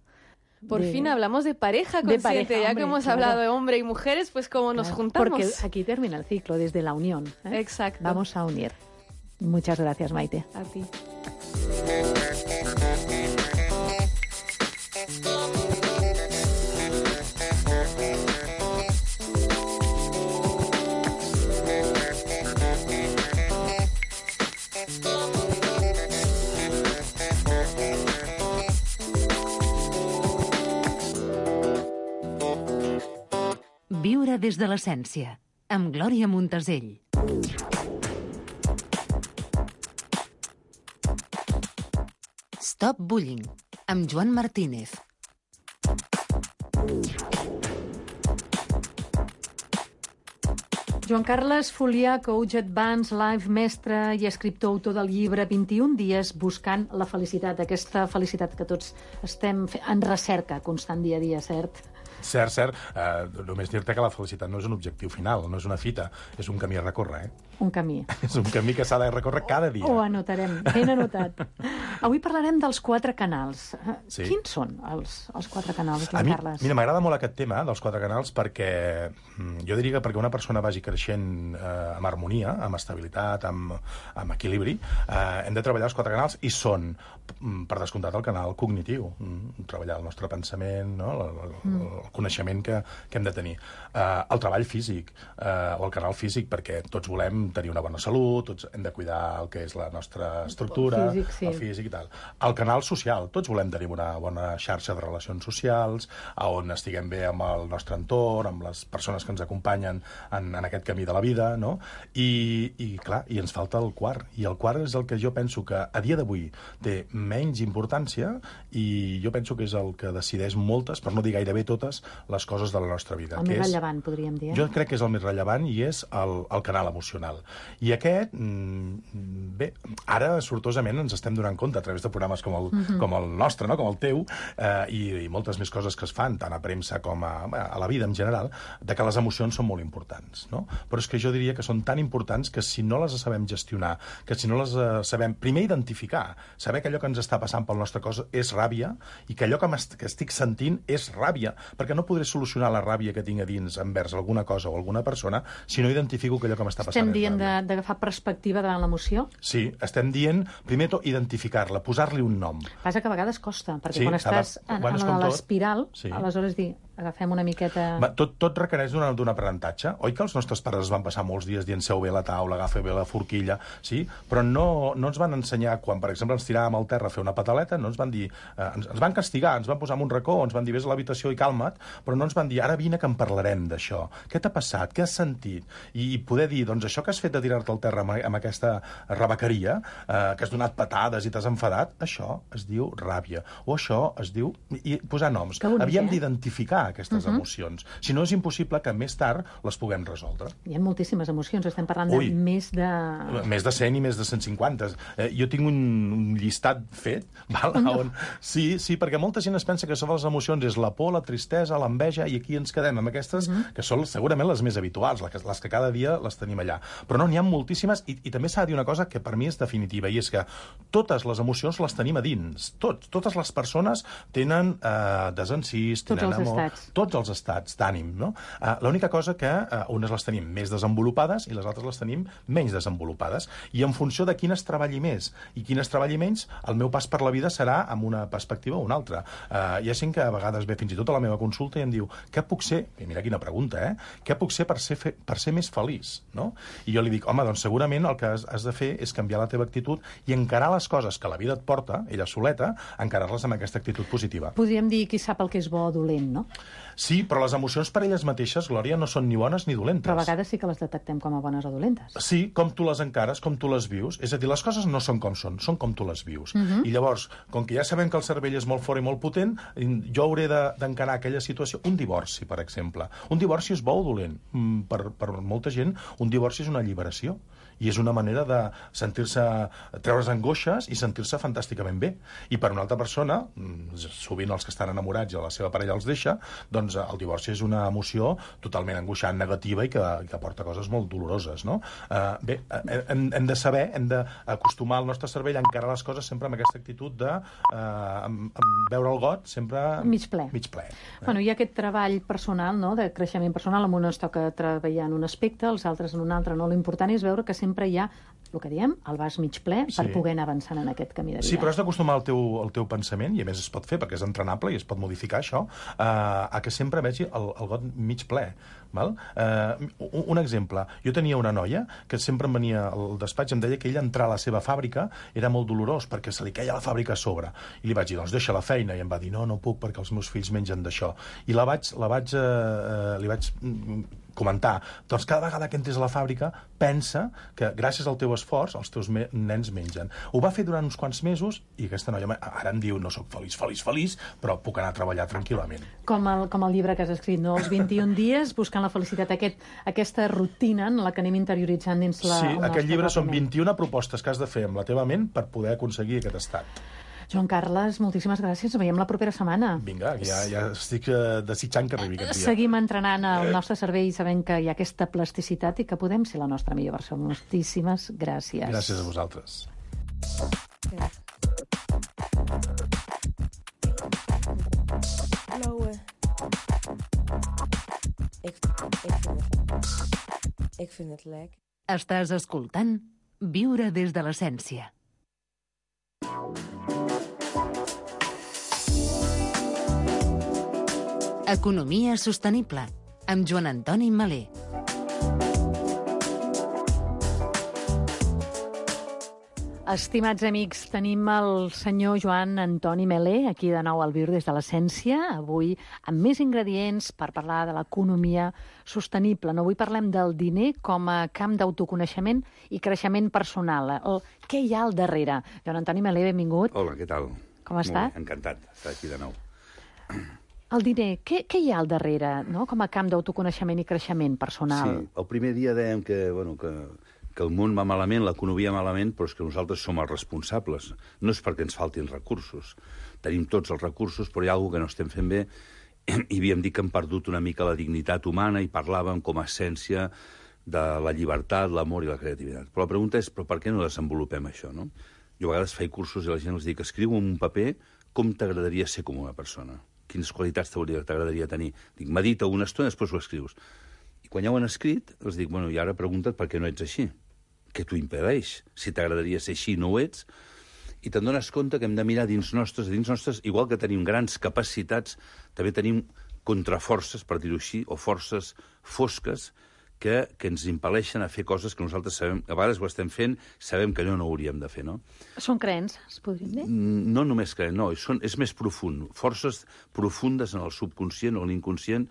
Por de... fin hablamos de pareja de consciente, pareja, ya hombre, que hemos claro. hablado de hombre y mujeres, pues cómo nos Claro, juntamos. Porque aquí termina el ciclo, desde la unión. ¿eh? Exacto. Vamos a unir. Muchas gracias, Maite. A ti. Viure des de l'essència, amb Glòria Montesell. Stop Bullying, amb Joan Martínez. Joan Carles Folià, coach advanced, live mestre i escriptor, autor del llibre vint-i-un dies buscant la felicitat, aquesta felicitat que tots estem en recerca constant dia a dia, cert? Cert, cert. Uh, només dir-te que la felicitat no és un objectiu final, no és una fita, és un camí a recórrer, eh? Un camí. És un camí que s'ha de recórrer cada dia. Ho anotarem, ben anotat. Avui parlarem dels quatre canals. Sí. Quins són els, els quatre canals, Joan A mi, Carles? mira, m'agrada molt aquest tema dels quatre canals perquè mm, jo diria que perquè una persona vagi creixent eh, amb harmonia, amb estabilitat, amb, amb equilibri, eh, hem de treballar els quatre canals i són, mm, per descomptat, el canal cognitiu, mm, treballar el nostre pensament, no? el, el, mm. el coneixement que, que hem de tenir. Eh, el treball físic, eh, o el canal físic, perquè tots volem tenir una bona salut, tots hem de cuidar el que és la nostra estructura, el físic, sí. el físic i tal. El canal social, tots volem tenir una bona xarxa de relacions socials, on estiguem bé amb el nostre entorn, amb les persones que ens acompanyen en, en aquest camí de la vida, no? I, i clar, i ens falta el quart. I el quart és el que jo penso que a dia d'avui té menys importància i jo penso que és el que decideix moltes, per no dir gairebé totes, les coses de la nostra vida. El que més és, rellevant, podríem dir. jo crec que és el més rellevant i és el, el canal emocional. I aquest, mm, bé, ara sortosament ens estem donant compte a través de programes com el, mm-hmm. com el nostre, no? com el teu, eh, i, i moltes més coses que es fan, tant a premsa com a, a la vida en general, de que les emocions són molt importants. No? Però és que jo diria que són tan importants que si no les sabem gestionar, que si no les eh, sabem primer identificar, saber que allò que ens està passant pel nostre cos és ràbia i que allò que, que estic sentint és ràbia, perquè no podré solucionar la ràbia que tinc a dins envers alguna cosa o alguna persona si no identifico que allò que m'està passant Estem és dient ràbia. d'agafar perspectiva davant l'emoció? Sí, estem dient, primer tot, identificar-la, posar-li un nom. Passa que a vegades costa, perquè Sí, quan cada- estàs en, quan és en com tot. l'espiral, Sí. aleshores dir, agafem una miqueta... Va, tot, tot requereix d'un d'un aprenentatge. Oi que els nostres pares es van passar molts dies dient seu bé la taula, agafa bé la forquilla, sí? Però no, no ens van ensenyar, quan, per exemple, ens tiràvem al terra a fer una pataleta, no ens van dir... Eh, ens, ens van castigar, ens van posar en un racó, ens van dir vés a l'habitació i calma't, però no ens van dir ara vine que en parlarem d'això. Què t'ha passat? Què has sentit? I, i poder dir, doncs això que has fet de tirar-te al terra amb, amb aquesta rebequeria, eh, que has donat patades i t'has enfadat, això es diu ràbia. O això es diu... I posar noms. Que bonic, Havíem eh? d'identificar aquestes uh-huh. emocions. Si no, és impossible que més tard les puguem resoldre. Hi ha moltíssimes emocions, estem parlant Ui. de més de... Més de cent i més de cent cinquanta. Eh, jo tinc un, un llistat fet, val? No. On... Sí, sí, perquè molta gent es pensa que són les emocions, és la por, la tristesa, l'enveja, i aquí ens quedem amb aquestes, uh-huh. que són segurament les més habituals, les que, les que cada dia les tenim allà. Però no, n'hi ha moltíssimes, i, i també s'ha de dir una cosa que per mi és definitiva, i és que totes les emocions les tenim a dins. Tots, totes les persones tenen eh, desencís, Tots tenen els amor... estats. Tots els estats d'ànim, no? Uh, L'única cosa que uh, unes les tenim més desenvolupades i les altres les tenim menys desenvolupades. I en funció de quines treballi més i quines treballi menys, el meu pas per la vida serà amb una perspectiva o una altra. Uh, hi ha gent que a vegades ve fins i tot a la meva consulta i em diu què puc ser, i mira quina pregunta, eh? Què puc ser per ser, fe, per ser més feliç, no? I jo li dic, home, doncs segurament el que has, has de fer és canviar la teva actitud i encarar les coses que la vida et porta, ella soleta, encarar-les amb aquesta actitud positiva. Podríem dir qui sap el que és bo o dolent, no? Sí, però les emocions per elles mateixes, Glòria, no són ni bones ni dolentes. Però a vegades sí que les detectem com a bones o dolentes. Sí, com tu les encares, com tu les vius. És a dir, les coses no són com són, són com tu les vius. Mhm. I llavors, com que ja sabem que el cervell és molt fort i molt potent, jo hauré de- d'encarar aquella situació. Un divorci, per exemple. Un divorci és bo o dolent? Mm, Per, per molta gent, un divorci és una alliberació. I és una manera de sentir-se, treure's angoixes i sentir-se fantàsticament bé. I per una altra persona, mm, sovint els que estan enamorats i la seva parella els deixa, doncs el divorci és una emoció totalment angoixant, negativa i que, que porta coses molt doloroses, no? Uh, bé, eh, hem, hem de saber, hem d'acostumar el nostre cervell a encarar les coses sempre amb aquesta actitud de uh, amb, amb veure el got sempre Mig ple. mig ple. Eh? Bueno, hi ha aquest treball personal, no?, de creixement personal. En un es toca treballar en un aspecte, els altres en un altre no. L'important és veure que sempre hi ha, el que diem, el vas mig ple per Sí. poder anar avançant en aquest camí de vida. Sí, però has d'acostumar el teu, el teu pensament, i a més es pot fer perquè és entrenable i es pot modificar això, a, a que sempre vegi el, el got mig ple. Val? Uh, un, un exemple. Jo tenia una noia que sempre em venia al despatx i em deia que ella entrar a la seva fàbrica era molt dolorós perquè se li queia la fàbrica a sobre. I li vaig dir, doncs deixa la feina. I em va dir, no, no puc perquè els meus fills mengen d'això. I la vaig, la vaig, uh, li vaig mm, comentar, doncs cada vegada que entres a la fàbrica pensa que gràcies al teu esforç els teus me nens mengen. Ho va fer durant uns quants mesos i aquesta noia ara em diu, no sóc feliç, feliç, feliç, però puc anar a treballar tranquil·lament. Com el, com el llibre que has escrit, no? Els vint-i-un dies buscant la felicitat, aquest, aquesta rutina en la que anem interioritzant dins la, Sí, el nostre aquest llibre són propi ment. vint-i-una propostes que has de fer amb la teva ment per poder aconseguir aquest estat. Joan Carles, moltíssimes gràcies. Ens veiem la propera setmana. Vinga, ja, ja estic eh, desitjant que arribi aquest dia. Seguim entrenant el nostre cervell sabent que hi ha aquesta plasticitat i que podem ser la nostra millor versió. Moltíssimes gràcies. Gràcies a vosaltres. Ik, ik, vind het, ik vind het lekker. Estàs escoltant Viure des de l'essència. Economia sostenible, amb Joan Antoni Malé. Estimats amics, tenim el senyor Joan Antoni Melé aquí de nou al Viure des de l'essència, avui amb més ingredients per parlar de l'economia sostenible. No, avui parlem del diner com a camp d'autoconeixement i creixement personal. El, què hi ha al darrere? Joan Antoni Melé, benvingut. Hola, què tal? Com està? Molt bé, encantat d'estar aquí de nou. El diner, què, què hi ha al darrere, no? Com a camp d'autoconeixement i creixement personal? Sí, el primer dia dèiem que, bueno, que, que el món va malament, l'economia malament, però és que nosaltres som els responsables. No és perquè ens faltin recursos. Tenim tots els recursos, però hi ha alguna que no estem fent bé. I havíem dit que hem perdut una mica la dignitat humana i parlàvem com a essència de la llibertat, l'amor i la creativitat. Però la pregunta és, però per què no desenvolupem això, no? Jo a vegades faig cursos i la gent els dic, escriu en un paper com t'agradaria ser com una persona. Quines qualitats t'agradaria tenir. Dic, medita una estona i després ho escrius. I quan ja ho han escrit, els dic, bueno, i ara pregunta't per què no ets així. Què t'ho impedeix? Si t'agradaria ser així, no ho ets. I te'n dones compte que hem de mirar dins nostres, dins nostres, igual que tenim grans capacitats, també tenim contraforces, per dir-ho així, o forces fosques que, que ens impel·leixen a fer coses que nosaltres sabem, a vegades ho estem fent, sabem que no, no hauríem de fer, no? Són creences, podríem dir? No només creen, no, són, és més profund. Forces profundes en el subconscient o l'inconscient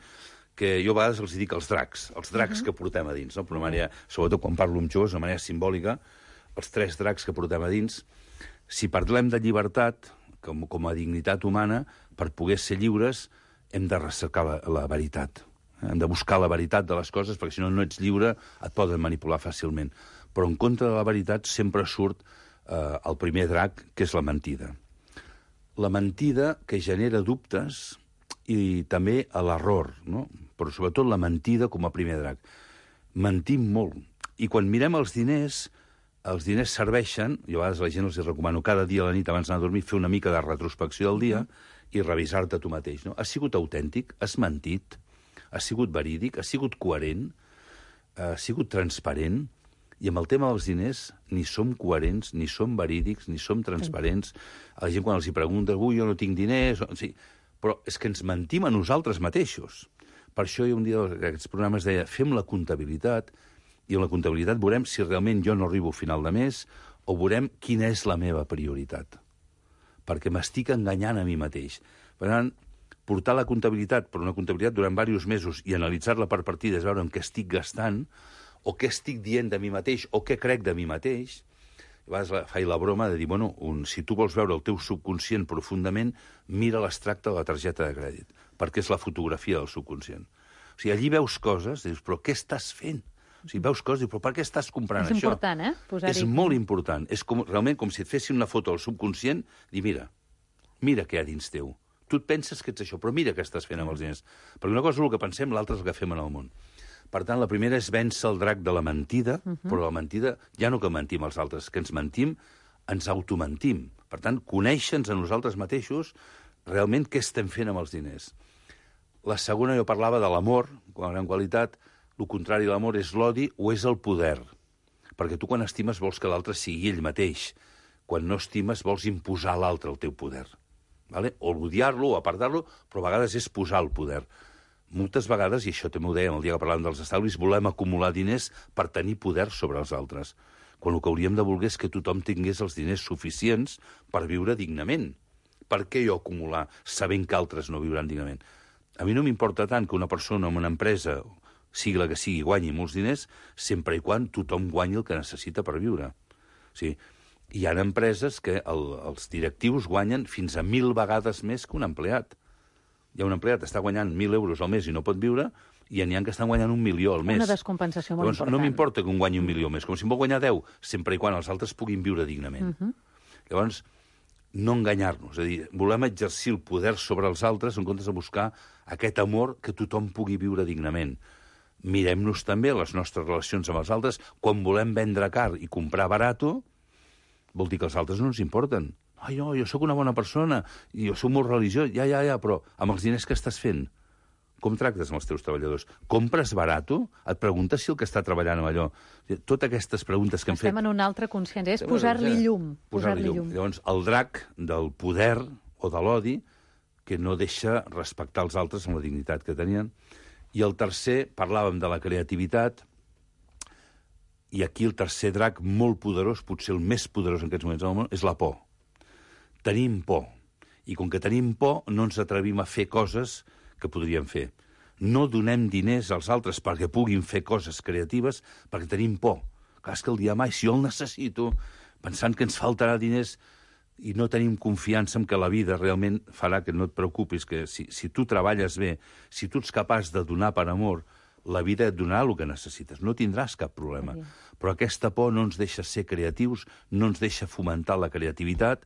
que jo a vegades els dic els dracs, els dracs uh -huh. que portem a dins, no? Per una manera, sobretot quan parlo amb joves, de manera simbòlica, els tres dracs que portem a dins. Si parlem de llibertat, com, com a dignitat humana, per poder ser lliures, hem de recercar la, la veritat. Hem de buscar la veritat de les coses, perquè si no, no ets lliure, et poden manipular fàcilment. Però en contra de la veritat sempre surt eh, el primer drac, que és la mentida. La mentida que genera dubtes i també l'error, no? Però sobretot la mentida com a primer drac. Mentim molt. I quan mirem els diners, els diners serveixen, jo a vegades a la gent els recomano cada dia a la nit abans d'anar a dormir fer una mica de retrospecció del dia i revisar-te tu mateix, no? Has sigut autèntic? Has mentit? Ha sigut verídic, ha sigut coherent, ha sigut transparent, i amb el tema dels diners ni som coherents, ni som verídics, ni som transparents. A la gent quan els hi preguntes, ui, jo no tinc diners... Sí, però és que ens mentim a nosaltres mateixos. Per això hi ha un dia d'aquests programes deia, fem la comptabilitat, i en la comptabilitat veurem si realment jo no arribo a final de mes o veurem quina és la meva prioritat. Perquè m'estic enganyant a mi mateix. Per tant, portar la comptabilitat, per una comptabilitat durant diversos mesos i analitzar-la per partides, veure en què estic gastant, o què estic dient de mi mateix, o què crec de mi mateix, a vegades faig la broma de dir, bueno, un, si tu vols veure el teu subconscient profundament, mira l'extracte de la targeta de crèdit, perquè és la fotografia del subconscient. O sigui, allí veus coses, dius, però què estàs fent? O sigui, veus coses, dius, però per què estàs comprant és això? És important, eh? Posar-hi... És molt important. És com, realment com si et fessin una foto al subconscient, dir, mira, mira què hi ha dins teu. Tu et penses que ets això, però mira què estàs fent amb els diners. Perquè una cosa és el que pensem, l'altra és el que fem en el món. Per tant, la primera és vèncer el drac de la mentida, uh -huh. però la mentida, ja no que mentim als altres, que ens mentim, ens automentim. Per tant, conèixer-nos a nosaltres mateixos realment què estem fent amb els diners. La segona, jo parlava de l'amor, com a gran qualitat, el contrari de l'amor és l'odi o és el poder. Perquè tu quan estimes vols que l'altre sigui ell mateix. Quan no estimes vols imposar a l'altre el teu poder. Vale? O odiar-lo o apartar-lo, però a vegades és posar el poder. Moltes vegades, i això també ho dèiem el dia que parlàvem dels estalvis, volem acumular diners per tenir poder sobre els altres. Quan el que hauríem de voler és que tothom tingués els diners suficients per viure dignament. Per què jo acumular sabent que altres no viuran dignament? A mi no m'importa tant que una persona en una empresa, sigui la que sigui, guanyi molts diners, sempre i quan tothom guanyi el que necessita per viure. O sigui, hi ha empreses que el, els directius guanyen fins a mil vegades més que un empleat. Hi ha un empleat que està guanyant mil euros al mes i no pot viure, i n'hi ha que estan guanyant un milió al mes. Una descompensació molt Llavors, important. no m'importa que un guanyi un milió al mes, com si em vol guanyar deu, sempre i quan els altres puguin viure dignament. Uh -huh. Llavors, no enganyar-nos, és a dir, volem exercir el poder sobre els altres en comptes de buscar aquest amor que tothom pugui viure dignament. Mirem-nos també les nostres relacions amb els altres. Quan volem vendre car i comprar barato, vol dir que els altres no ens importen. Ai, no, jo sóc una bona persona, i jo sóc molt religiós, ja, ja, ja, però amb els diners que estàs fent, com tractes amb els teus treballadors? Compres barato? Et preguntes si el que està treballant amb allò... Totes aquestes preguntes que hem Estem fet... en una altra consciència, és posar-li llum. Posar-li llum. llum. Llavors, el drac del poder o de l'odi que no deixa respectar els altres amb la dignitat que tenien. I el tercer, parlàvem de la creativitat, i aquí el tercer drac molt poderós, potser el més poderós en aquests moments del món, és la por. Tenim por. I com que tenim por, no ens atrevim a fer coses que podríem fer. No donem diners als altres perquè puguin fer coses creatives perquè tenim por. Clar, és que el dia mai, si jo el necessito, pensant que ens faltarà diners i no tenim confiança en que la vida realment farà que no et preocupis, que si, si tu treballes bé, si tu ets capaç de donar per amor, la vida et donarà el que necessites. No tindràs cap problema. Sí. Però aquesta por no ens deixa ser creatius, no ens deixa fomentar la creativitat,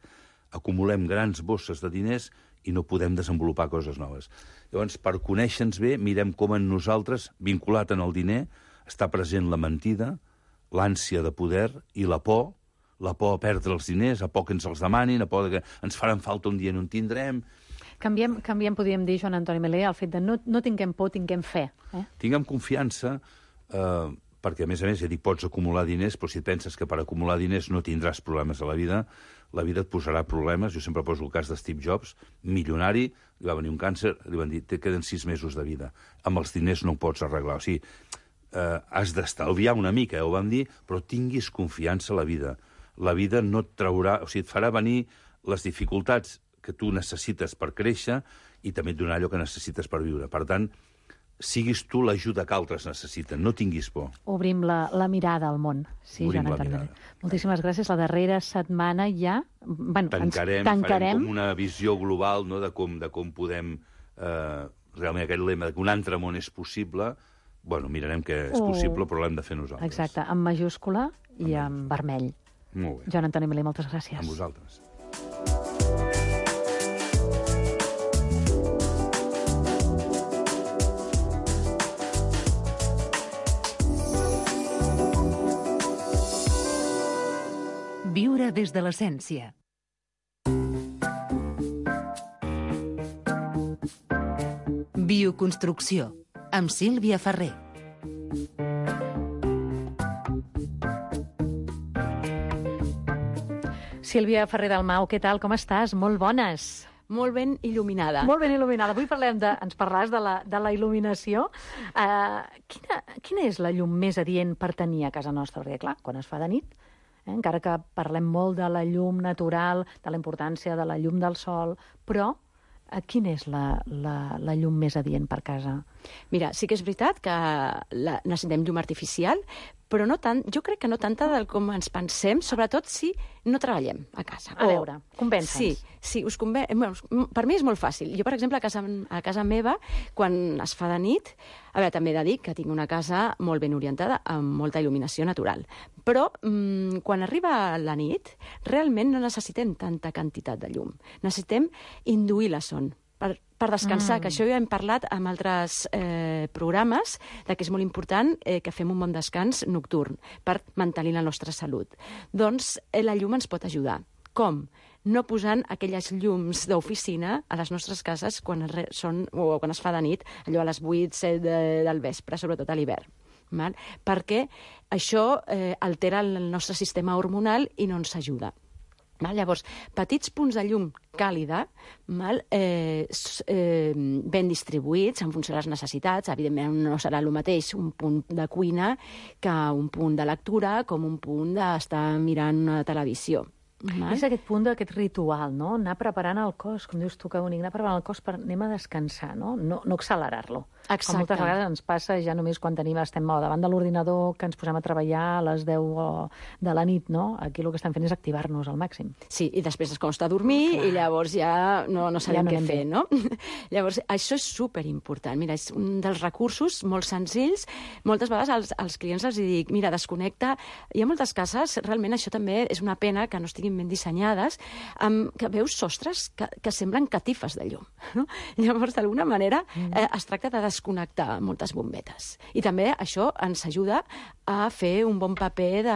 acumulem grans bosses de diners i no podem desenvolupar coses noves. Llavors, per conèixer-nos bé, mirem com en nosaltres, vinculat en el diner, està present la mentida, l'ànsia de poder i la por, la por a perdre els diners, a por que ens els demanin, a por que ens faran falta un dia i no en tindrem. Canviem, canviem podríem dir, Joan Antoni Melé, el fet de no, no tinguem por, tinguem fe. Eh? Tinguem confiança, eh, perquè, a més a més, ja dic, pots acumular diners, però si et penses que per acumular diners no tindràs problemes a la vida, la vida et posarà problemes. Jo sempre poso el cas de Steve Jobs, milionari, li va venir un càncer, li van dir, te queden sis mesos de vida. Amb els diners no ho pots arreglar. O sigui, eh, has d'estalviar una mica, eh, ho vam dir, però tinguis confiança a la vida. La vida no et traurà, o sigui, et farà venir les dificultats que tu necessites per créixer i també et donarà allò que necessites per viure. Per tant, siguis tu l'ajuda que altres necessiten, no tinguis por. Obrim la, la mirada al món. Sí, Obrim Joan la Antoni mirada. Melé. Moltíssimes gràcies. La darrera setmana ja... Bueno, tancarem, ens tancarem. Farem com una visió global, no?, de com, de com podem... Eh, realment aquest lema de que un altre món és possible, bueno, mirarem que és Oh. possible, però l'hem de fer nosaltres. Exacte, en majúscula i en vermell. Molt bé. Joan Antoni Melé, moltes gràcies. Amb vosaltres. Viure des de l'essència. Bioconstrucció, amb Sílvia Ferrer. Sílvia Ferrer Dalmau, què tal? Com estàs? Molt bones. Molt ben il·luminada. Molt ben il·luminada. Avui parlem de, ens parlaràs de la, de la il·luminació. Uh, quina, quina és la llum més adient per tenir a casa nostra? Perquè, clar, quan es fa de nit, eh, encara que parlem molt de la llum natural, de la importància de la llum del sol, però quina és la, la, la llum més adient per casa? Mira, sí que és veritat que la, necessitem llum artificial, però no tant, jo crec que no tanta del com ens pensem, sobretot si no treballem a casa. A veure, convença'ns. Sí, sí, us conven... bueno, per mi és molt fàcil. Jo, per exemple, a casa, a casa meva, quan es fa de nit, a veure, també he de dir que tinc una casa molt ben orientada, amb molta il·luminació natural. Però mmm, quan arriba la nit, realment no necessitem tanta quantitat de llum. Necessitem induir la son. Per, per descansar, mm. que això ja hem parlat amb altres eh, programes, de que és molt important eh, que fem un bon descans nocturn per mantenir la nostra salut. Doncs eh, la llum ens pot ajudar. Com? No posant aquelles llums d'oficina a les nostres cases quan, es, són, o quan es fa de nit, allò a les vuit, set de, del vespre, sobretot a l'hivern. Val? Perquè això eh, altera el nostre sistema hormonal i no ens ajuda. Val? Llavors, petits punts de llum càlida, val? Eh, eh, ben distribuïts en funció de les necessitats. Evidentment no serà el mateix un punt de cuina que un punt de lectura, com un punt d'estar mirant una televisió. Val? És aquest punt d'aquest ritual, no? Anar preparant el cos, com dius tu, que bonic, anar preparant el cos per anem a descansar, no? No, no accelerar-lo. Exacte. Com moltes vegades ens passa ja només quan tenim, estem davant de l'ordinador, que ens posem a treballar a les deu de la nit, no? Aquí el que estem fent és activar-nos al màxim. Sí, i després es costa dormir i llavors ja no, no sabem ja no què fer, no? Llavors, això és superimportant. Mira, és un dels recursos molt senzills. Moltes vegades als, als clients els dic, mira, desconnecta. Hi ha moltes cases, realment això també és una pena que no estiguin ben dissenyades, amb, que veus sostres que, que semblen catifes de llum. No? Llavors, d'alguna manera, eh, es tracta de desconnectar moltes bombetes. I també això ens ajuda a fer un bon paper de...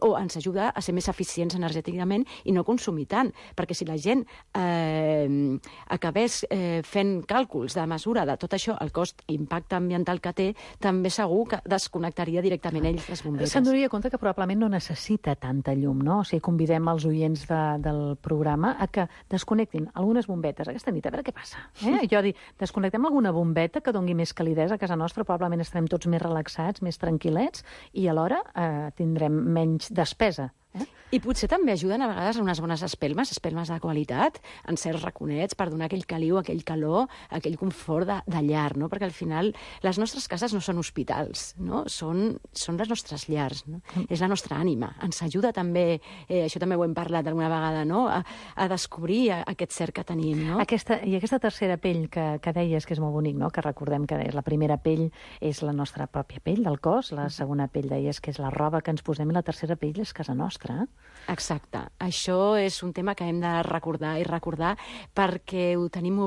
o ens ajuda a ser més eficients energèticament i no consumir tant, perquè si la gent eh, acabés eh, fent càlculs de mesura de tot això, el cost i impacte ambiental que té, també segur que desconnectaria directament ells les bombetes. Se'n donaria compte que probablement no necessita tanta llum, no? O sigui, convidem els oients de, del programa a que desconnectin algunes bombetes aquesta nit, a veure què passa. Eh? Jo dic, desconnectem alguna bombeta que doni més calidesa a casa nostra, probablement estarem tots més relaxats, més tranquil·lets, i alhora eh, tindrem menys despesa. Eh? I potser també ajuden a vegades unes bones espelmes, espelmes de qualitat, en certs raconets, per donar aquell caliu, aquell calor, aquell confort de, de llar, no? Perquè al final les nostres cases no són hospitals, no? Són, són les nostres llars, no? Mm. És la nostra ànima. Ens ajuda també, eh, això també ho hem parlat alguna vegada, no? A, a descobrir aquest ser que tenim, no? Aquesta, I aquesta tercera pell que, que deies, que és molt bonic, no? Que recordem que deies, la primera pell és la nostra pròpia pell del cos, la segona pell deies que és la roba que ens posem i la tercera pell és casa nostra. Exacte. Això és un tema que hem de recordar i recordar perquè ho tenim...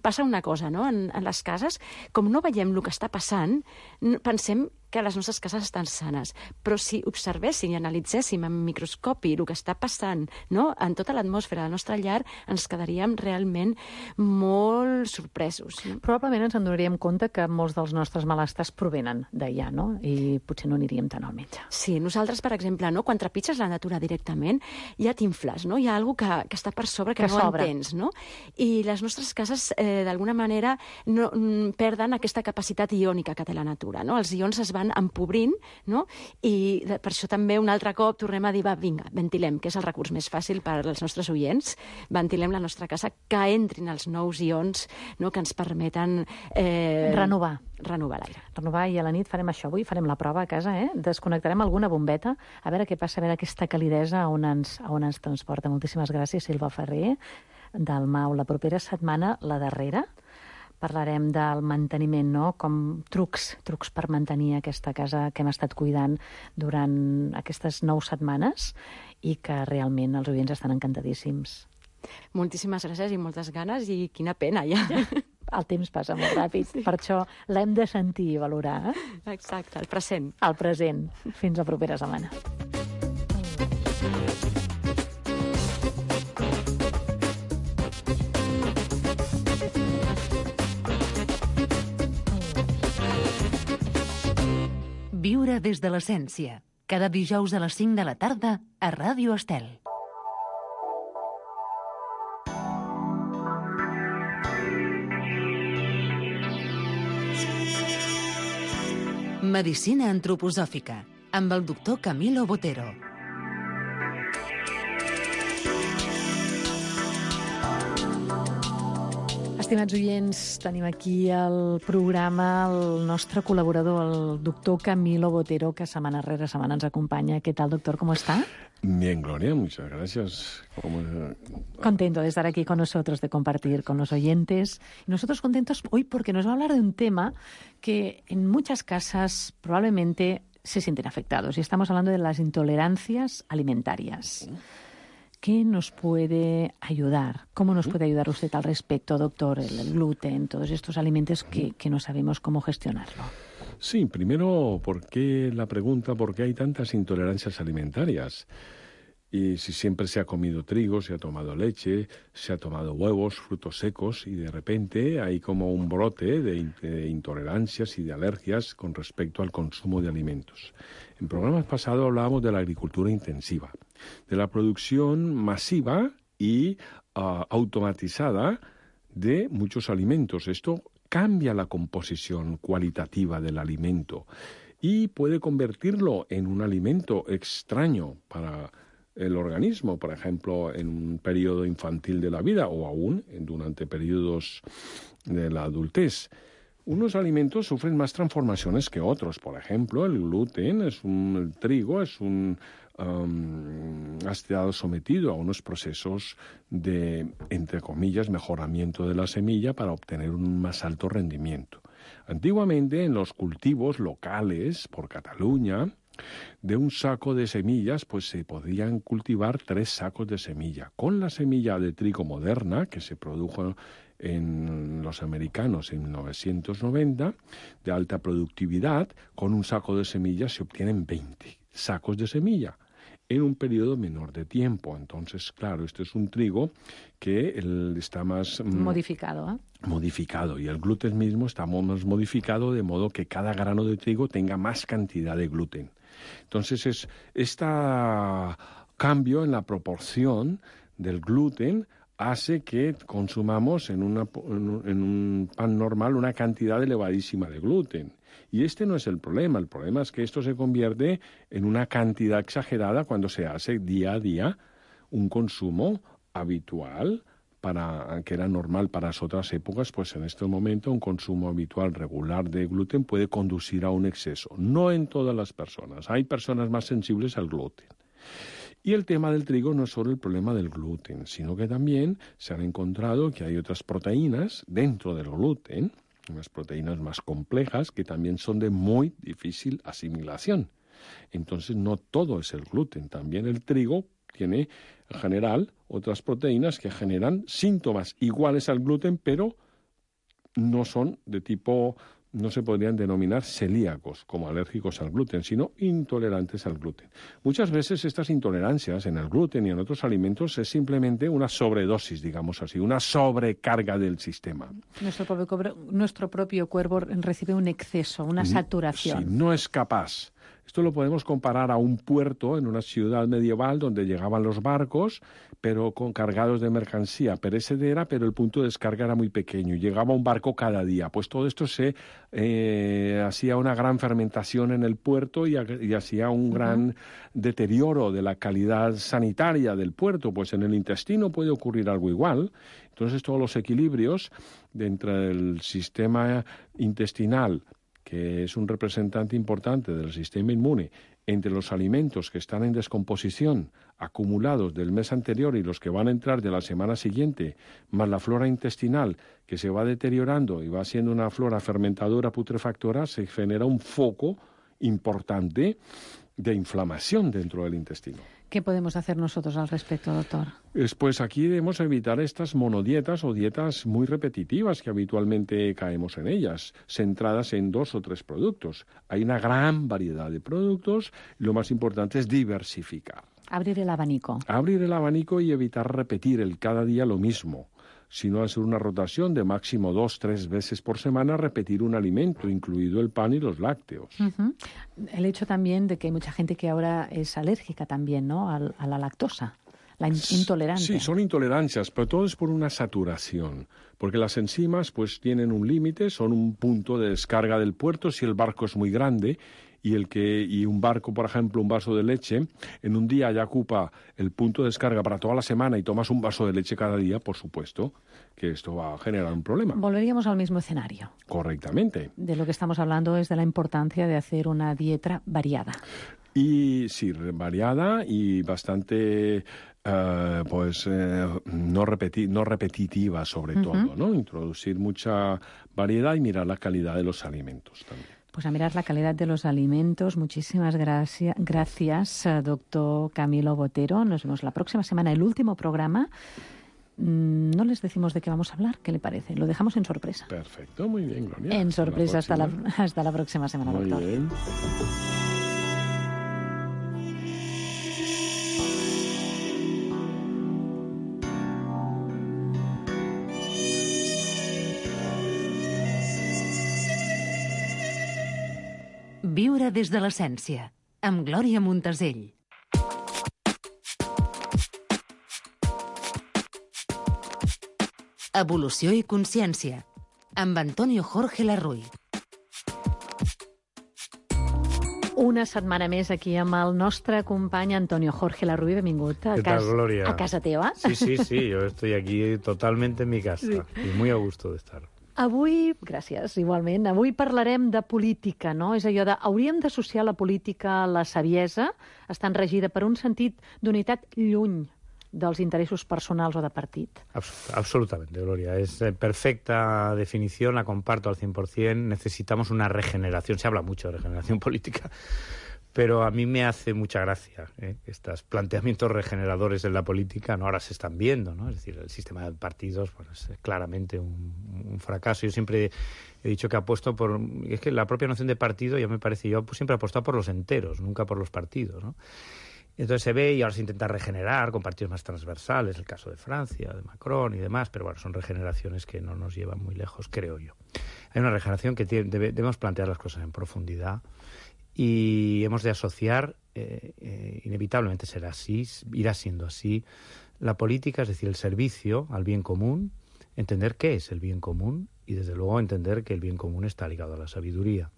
Passa una cosa, no?, en, en les cases, com no veiem el que està passant, pensem que les nostres cases estan sanes. Però si observéssim i analitzéssim amb microscopi el que està passant, no?, en tota l'atmosfera de la nostra llar, ens quedaríem realment molt sorpresos. No? Probablement ens en donaríem compte que molts dels nostres malestars provenen d'allà, no? I potser no aniríem tant al metge. Sí, nosaltres, per exemple, no?, quan trepitges la natura directament, ja t'infles, no? Hi ha alguna cosa que, que està per sobre que, que no sobra. Entens, no? I les nostres cases, eh, d'alguna manera, no, perden aquesta capacitat iònica que té la natura, no? Els ions es van empobrint, no? I de, per això també un altre cop tornem a dir, va, vinga, ventilem, que és el recurs més fàcil per als nostres oients, ventilem la nostra casa, que entrin els nous ions, no?, que ens permeten... Eh, renovar. Renovar l'aire. Renovar, i a la nit farem això avui, farem la prova a casa, eh? Desconnectarem alguna bombeta, a veure què passa, a veure aquesta calidesa on ens, on ens transporta. Moltíssimes gràcies, Silva Ferrer, del M A U. La propera setmana, la darrera, parlarem del manteniment, no?, com trucs, trucs per mantenir aquesta casa que hem estat cuidant durant aquestes nou setmanes i que realment els oients estan encantadíssims. Moltíssimes gràcies i moltes ganes i quina pena, ja. El temps passa molt ràpid, sí. Per això l'hem de sentir i valorar. Eh? Exacte, el present. El present. Fins la propera setmana. Viure des de l'essència. Cada dijous a les cinc de la tarda a Ràdio Estel. Medicina antroposòfica, amb el doctor Camilo Botero. Estimats oients, tenim aquí al programa el nostre col·laborador, el doctor Camilo Botero, que setmana rere setmana ens acompaña. ¿Qué tal, doctor? ¿Cómo está? Bien, Gloria, muchas gracias. ¿Cómo... Contento de estar aquí con nosotros, de compartir con los oyentes. Y nosotros contentos hoy porque nos va a hablar de un tema que en muchas casas probablemente se sienten afectados. Y estamos hablando de las intolerancias alimentarias. ¿Qué nos puede ayudar? ¿Cómo nos puede ayudar usted al respecto, doctor? El, el gluten, todos estos alimentos que, que no sabemos cómo gestionarlo. Sí, primero, ¿por qué la pregunta? ¿Por qué hay tantas intolerancias alimentarias? Y si siempre se ha comido trigo, se ha tomado leche, se ha tomado huevos, frutos secos, y de repente hay como un brote de, de intolerancias y de alergias con respecto al consumo de alimentos. En programas pasados hablábamos de la agricultura intensiva, de la producción masiva y uh, automatizada de muchos alimentos. Esto cambia la composición cualitativa del alimento y puede convertirlo en un alimento extraño para el organismo, por ejemplo, en un periodo infantil de la vida o aún durante periodos de la adultez. Unos alimentos sufren más transformaciones que otros. Por ejemplo, el gluten, es un, el trigo, es un, um, ha estado sometido a unos procesos de, entre comillas, mejoramiento de la semilla para obtener un más alto rendimiento. Antiguamente, en los cultivos locales por Cataluña, de un saco de semillas, pues se podían cultivar tres sacos de semilla. Con la semilla de trigo moderna, que se produjo en los americanos en mil novecientos noventa, de alta productividad, con un saco de semillas se obtienen veinte sacos de semilla en un periodo menor de tiempo. Entonces, claro, este es un trigo que el, está más... Modificado, ¿eh? Modificado, y el gluten mismo está más modificado, de modo que cada grano de trigo tenga más cantidad de gluten. Entonces, es este cambio en la proporción del gluten hace que consumamos en, una, en un pan normal una cantidad elevadísima de gluten. Y este no es el problema. El problema es que esto se convierte en una cantidad exagerada cuando se hace día a día un consumo habitual, para que era normal para las otras épocas, pues en este momento un consumo habitual regular de gluten puede conducir a un exceso. No en todas las personas. Hay personas más sensibles al gluten. Y el tema del trigo no es solo el problema del gluten, sino que también se han encontrado que hay otras proteínas dentro del gluten, unas proteínas más complejas que también son de muy difícil asimilación. Entonces no todo es el gluten, también el trigo tiene en general otras proteínas que generan síntomas iguales al gluten, pero no son de tipo, no se podrían denominar celíacos, como alérgicos al gluten, sino intolerantes al gluten. Muchas veces estas intolerancias en el gluten y en otros alimentos es simplemente una sobredosis, digamos así, una sobrecarga del sistema. Nuestro propio, nuestro propio cuerpo recibe un exceso, una saturación. Sí, no es capaz. Esto lo podemos comparar a un puerto en una ciudad medieval donde llegaban los barcos, pero con cargados de mercancía perecedera, pero el punto de descarga era muy pequeño. Llegaba un barco cada día. Pues todo esto se eh, hacía una gran fermentación en el puerto y, y hacía un uh-huh. gran deterioro de la calidad sanitaria del puerto. Pues en el intestino puede ocurrir algo igual. Entonces todos los equilibrios dentro del sistema intestinal, que es un representante importante del sistema inmune, entre los alimentos que están en descomposición, acumulados del mes anterior y los que van a entrar de la semana siguiente, más la flora intestinal que se va deteriorando y va siendo una flora fermentadora putrefactora, se genera un foco importante de inflamación dentro del intestino. ¿Qué podemos hacer nosotros al respecto, doctor? Pues aquí debemos evitar estas monodietas o dietas muy repetitivas que habitualmente caemos en ellas, centradas en dos o tres productos. Hay una gran variedad de productos y lo más importante es diversificar. Abrir el abanico. Abrir el abanico y evitar repetir el cada día lo mismo, sino hacer una rotación de máximo dos, tres veces por semana, repetir un alimento, incluido el pan y los lácteos. Uh-huh. El hecho también de que hay mucha gente que ahora es alérgica también, ¿no?, a, a la lactosa, la in- intolerante. Sí, son intolerancias, pero todo es por una saturación, porque las enzimas pues tienen un límite, son un punto de descarga del puerto si el barco es muy grande, y el que y un barco, por ejemplo, un vaso de leche, en un día ya ocupa el punto de descarga para toda la semana y tomas un vaso de leche cada día, por supuesto que esto va a generar un problema. Volveríamos al mismo escenario. Correctamente. De lo que estamos hablando es de la importancia de hacer una dieta variada. Y sí, variada y bastante... Uh, pues eh, no, repeti no repetitiva sobre uh-huh. todo, ¿no? Introducir mucha variedad y mirar la calidad de los alimentos también. Pues a mirar la calidad de los alimentos. Muchísimas gracias, gracias, doctor Camilo Botero. Nos vemos la próxima semana, el último programa. No les decimos de qué vamos a hablar, ¿qué le parece? Lo dejamos en sorpresa. Perfecto, muy bien, Gloria. En sorpresa hasta la, hasta la próxima semana, muy doctor. Bien. Viure des de l'essència, amb Glòria Montasell. Evolució i consciència, amb Antonio Jorge Larruy. Una setmana més aquí amb el nostre company Antonio Jorge Larruy. Benvingut a, ¿Qué tal, cas Gloria? a casa teva. Sí, sí, sí, yo estoy aquí totalmente en mi casa sí. y muy a gusto de estar. Avui, gràcies, igualment, avui parlarem de política, no? És allò de, hauríem d'associar la política a la saviesa, estant regida per un sentit d'unitat lluny dels interessos personals o de partit. Abs absolutamente, Gloria. Es eh, perfecta definición, la comparto al cien por cien. Necesitamos una regeneración. Se habla mucho de regeneración política, pero a mí me hace mucha gracia ¿eh? estos planteamientos regeneradores en la política. No, ahora se están viendo, ¿no? Es decir, el sistema de partidos bueno, es claramente un, un fracaso. Yo siempre he dicho que apuesto por... Es que la propia noción de partido, ya me parece, yo pues, siempre he apostado por los enteros, nunca por los partidos, ¿no? Entonces se ve y ahora se intenta regenerar con partidos más transversales, el caso de Francia, de Macron y demás, pero bueno, son regeneraciones que no nos llevan muy lejos, creo yo. Hay una regeneración que tiene, debe, debemos plantear las cosas en profundidad y hemos de asociar, eh, eh, inevitablemente será así, irá siendo así, la política, es decir, el servicio al bien común, entender qué es el bien común y desde luego entender que el bien común está ligado a la sabiduría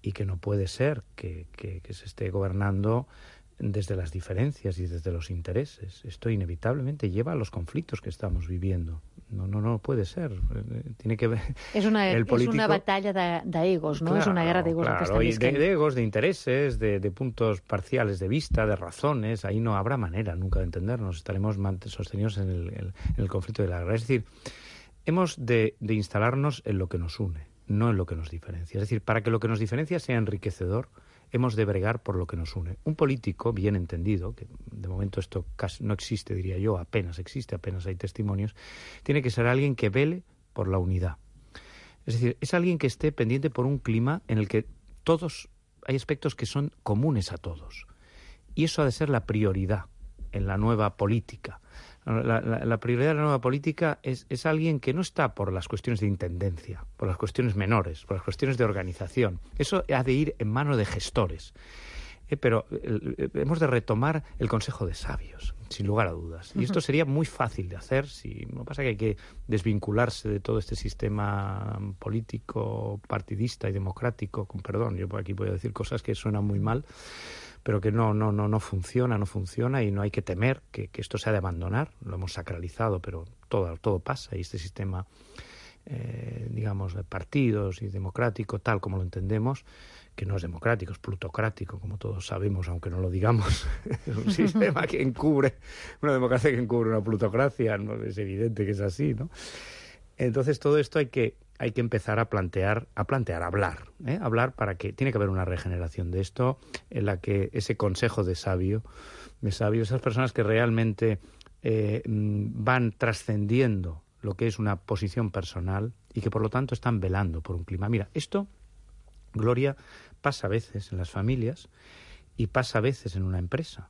y que no puede ser que, que, que se esté gobernando desde las diferencias y desde los intereses. Esto inevitablemente lleva a los conflictos que estamos viviendo. No, no, no puede ser. Tiene que ver... Es una, el político... es una batalla de, de egos, ¿no? Claro, es una guerra de egos. Claro, que están y de, de egos, de intereses, de, de puntos parciales de vista, de razones. Ahí no habrá manera nunca de entendernos. Estaremos sostenidos en el, el, en el conflicto de la guerra. Es decir, hemos de, de instalarnos en lo que nos une, no en lo que nos diferencia. Es decir, para que lo que nos diferencia sea enriquecedor, hemos de bregar por lo que nos une. Un político bien entendido, que de momento esto casi no existe, diría yo, apenas existe, apenas hay testimonios, tiene que ser alguien que vele por la unidad. Es decir, es alguien que esté pendiente por un clima en el que todos, hay aspectos que son comunes a todos. Y eso ha de ser la prioridad en la nueva política. La, la, la prioridad de la nueva política es, es alguien que no está por las cuestiones de intendencia, por las cuestiones menores, por las cuestiones de organización. Eso ha de ir en manos de gestores. Eh, pero eh, hemos de retomar el consejo de sabios, sin lugar a dudas. Y esto sería muy fácil de hacer. Si, lo que pasa es que hay que desvincularse de todo este sistema político, partidista y democrático, con perdón, yo por aquí voy a decir cosas que suenan muy mal, pero que no, no, no, no funciona, no funciona y no hay que temer que, que esto se ha de abandonar. Lo hemos sacralizado, pero todo, todo pasa y este sistema, eh, digamos, de partidos y democrático, tal como lo entendemos, que no es democrático, es plutocrático, como todos sabemos, aunque no lo digamos. Es un sistema que encubre, una democracia que encubre una plutocracia, no es evidente que es así, ¿no? Entonces todo esto hay que hay que empezar a plantear, a plantear, a hablar, ¿eh? hablar para que tiene que haber una regeneración de esto en la que ese consejo de sabio, de sabios, esas personas que realmente eh, van trascendiendo lo que es una posición personal y que por lo tanto están velando por un clima. Mira, esto, Gloria, pasa a veces en las familias y pasa a veces en una empresa,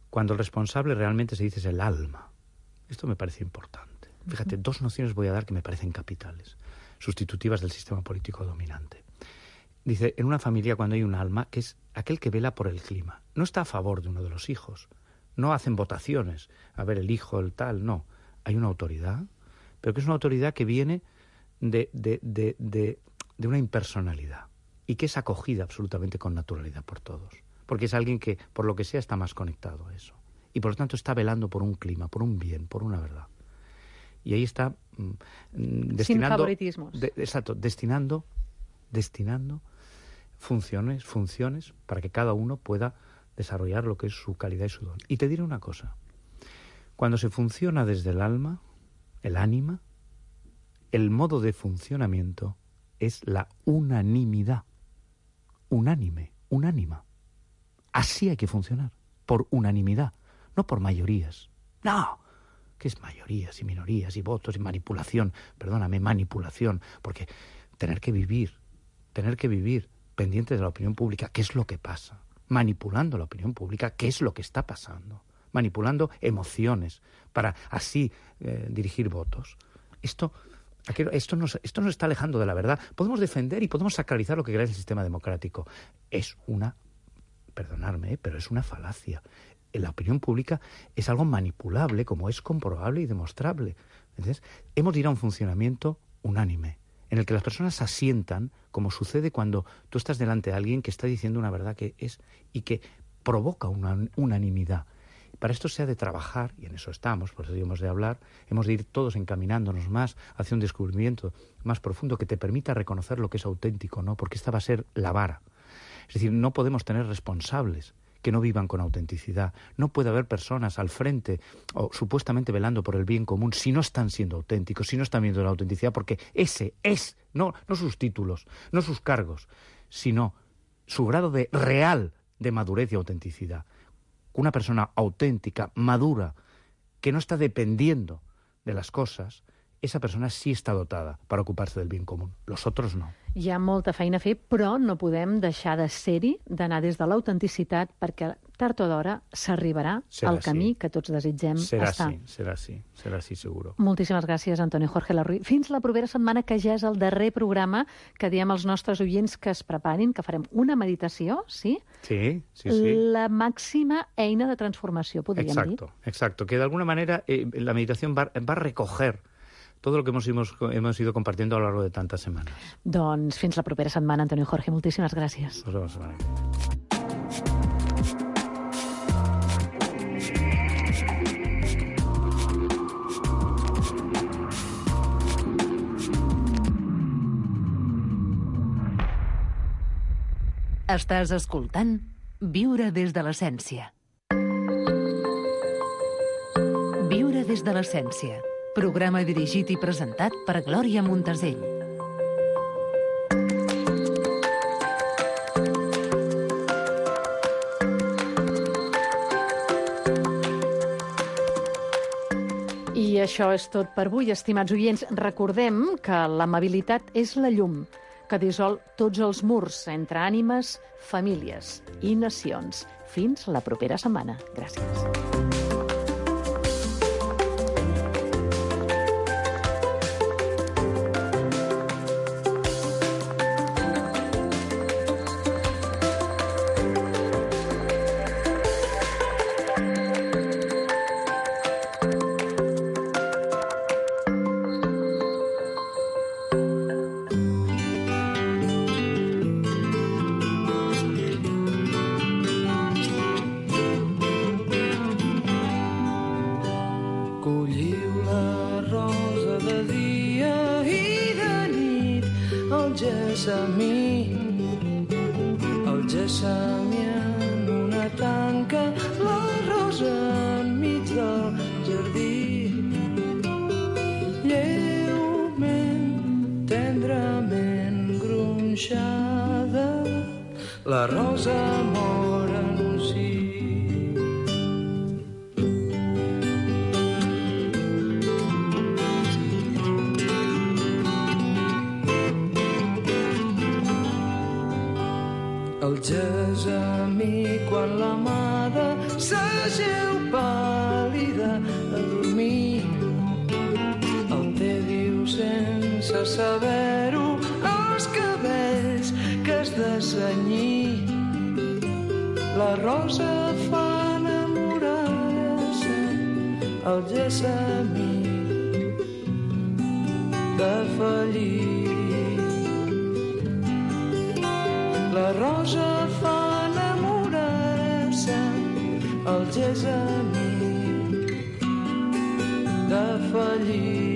cuando el responsable realmente se dice es el alma. Esto me parece importante. Fíjate, dos nociones voy a dar que me parecen capitales, sustitutivas del sistema político dominante. Dice, en una familia cuando hay un alma, que es aquel que vela por el clima, no está a favor de uno de los hijos, no hacen votaciones, a ver, el hijo, el tal, no. Hay una autoridad, pero que es una autoridad que viene de, de, de, de, de una impersonalidad. y que es acogida absolutamente con naturalidad por todos. Porque es alguien que, por lo que sea, está más conectado a eso. Y por lo tanto está velando por un clima, por un bien, por una verdad. Y ahí está mm, destinando... Sin favoritismos. De, exacto, destinando, destinando funciones, funciones para que cada uno pueda desarrollar lo que es su calidad y su don. Y te diré una cosa. Cuando se funciona desde el alma, el ánima, el modo de funcionamiento es la unanimidad. Unánime, unánima. Así hay que funcionar, por unanimidad, no por mayorías. No, ¿qué es mayorías y minorías y votos y manipulación? Perdóname, manipulación, porque tener que vivir, tener que vivir pendiente de la opinión pública, ¿qué es lo que pasa? Manipulando la opinión pública, ¿qué es lo que está pasando? Manipulando emociones para así eh, dirigir votos. Esto... Esto nos, esto nos está alejando de la verdad. Podemos defender y podemos sacralizar lo que crea el sistema democrático. Es una, perdonadme, ¿eh? pero es una falacia. La opinión pública es algo manipulable, como es comprobable y demostrable. Entonces, hemos de ir a un funcionamiento unánime, en el que las personas asientan, como sucede cuando tú estás delante de alguien que está diciendo una verdad que es y que provoca una unanimidad. Para esto se ha de trabajar, y en eso estamos, por eso hemos de hablar, hemos de ir todos encaminándonos más hacia un descubrimiento más profundo que te permita reconocer lo que es auténtico, ¿no? Porque esta va a ser la vara. Es decir, no podemos tener responsables que no vivan con autenticidad. No puede haber personas al frente o supuestamente velando por el bien común si no están siendo auténticos, si no están viendo la autenticidad, porque ese es, no, no sus títulos, no sus cargos, sino su grado de real de madurez y autenticidad. Una persona auténtica, madura, que no está dependiendo de las cosas, esa persona sí està dotada per ocupar-se del bien comú. Los otros no. Hi ha molta feina a fer, però no podem deixar de ser-hi, d'anar des de l'autenticitat, perquè tard o d'hora s'arribarà al camí que tots desitgem serà estar. Serà sí, serà sí, serà sí, seguro. Moltíssimes gràcies, Antonio Jorge Larruy. Fins la propera setmana, que ja és el darrer programa, que diem als nostres oients que es preparin, que farem una meditació, sí? Sí, sí, sí. La màxima eina de transformació, podríem exacto, dir. Exacto, que de alguna manera eh, la meditación va, va a recoger todo lo que hemos, hemos, hemos ido compartiendo a lo largo de tantas semanas. Doncs fins la propera setmana, Antonio Jorge. Moltíssimes gràcies. Nos vemos la semana que viene. Estàs escoltant Viure des de l'essència. Viure des de l'essència. Programa dirigit i presentat per Glòria Montesell. I això és tot per avui, estimats oients. Recordem que l'amabilitat és la llum que dissol tots els murs entre ànimes, famílies i nacions. Fins la propera setmana. Gràcies. La rosa mor en un sí. El gessamí quan l'amada s'ageu pàl·lida a dormir. El té diu sense saber-ho els cabells que has de cenyir. La rosa fa enamorar-se, el gessamí de fallir. La rosa fa enamorar-se, el gessamí de fallir.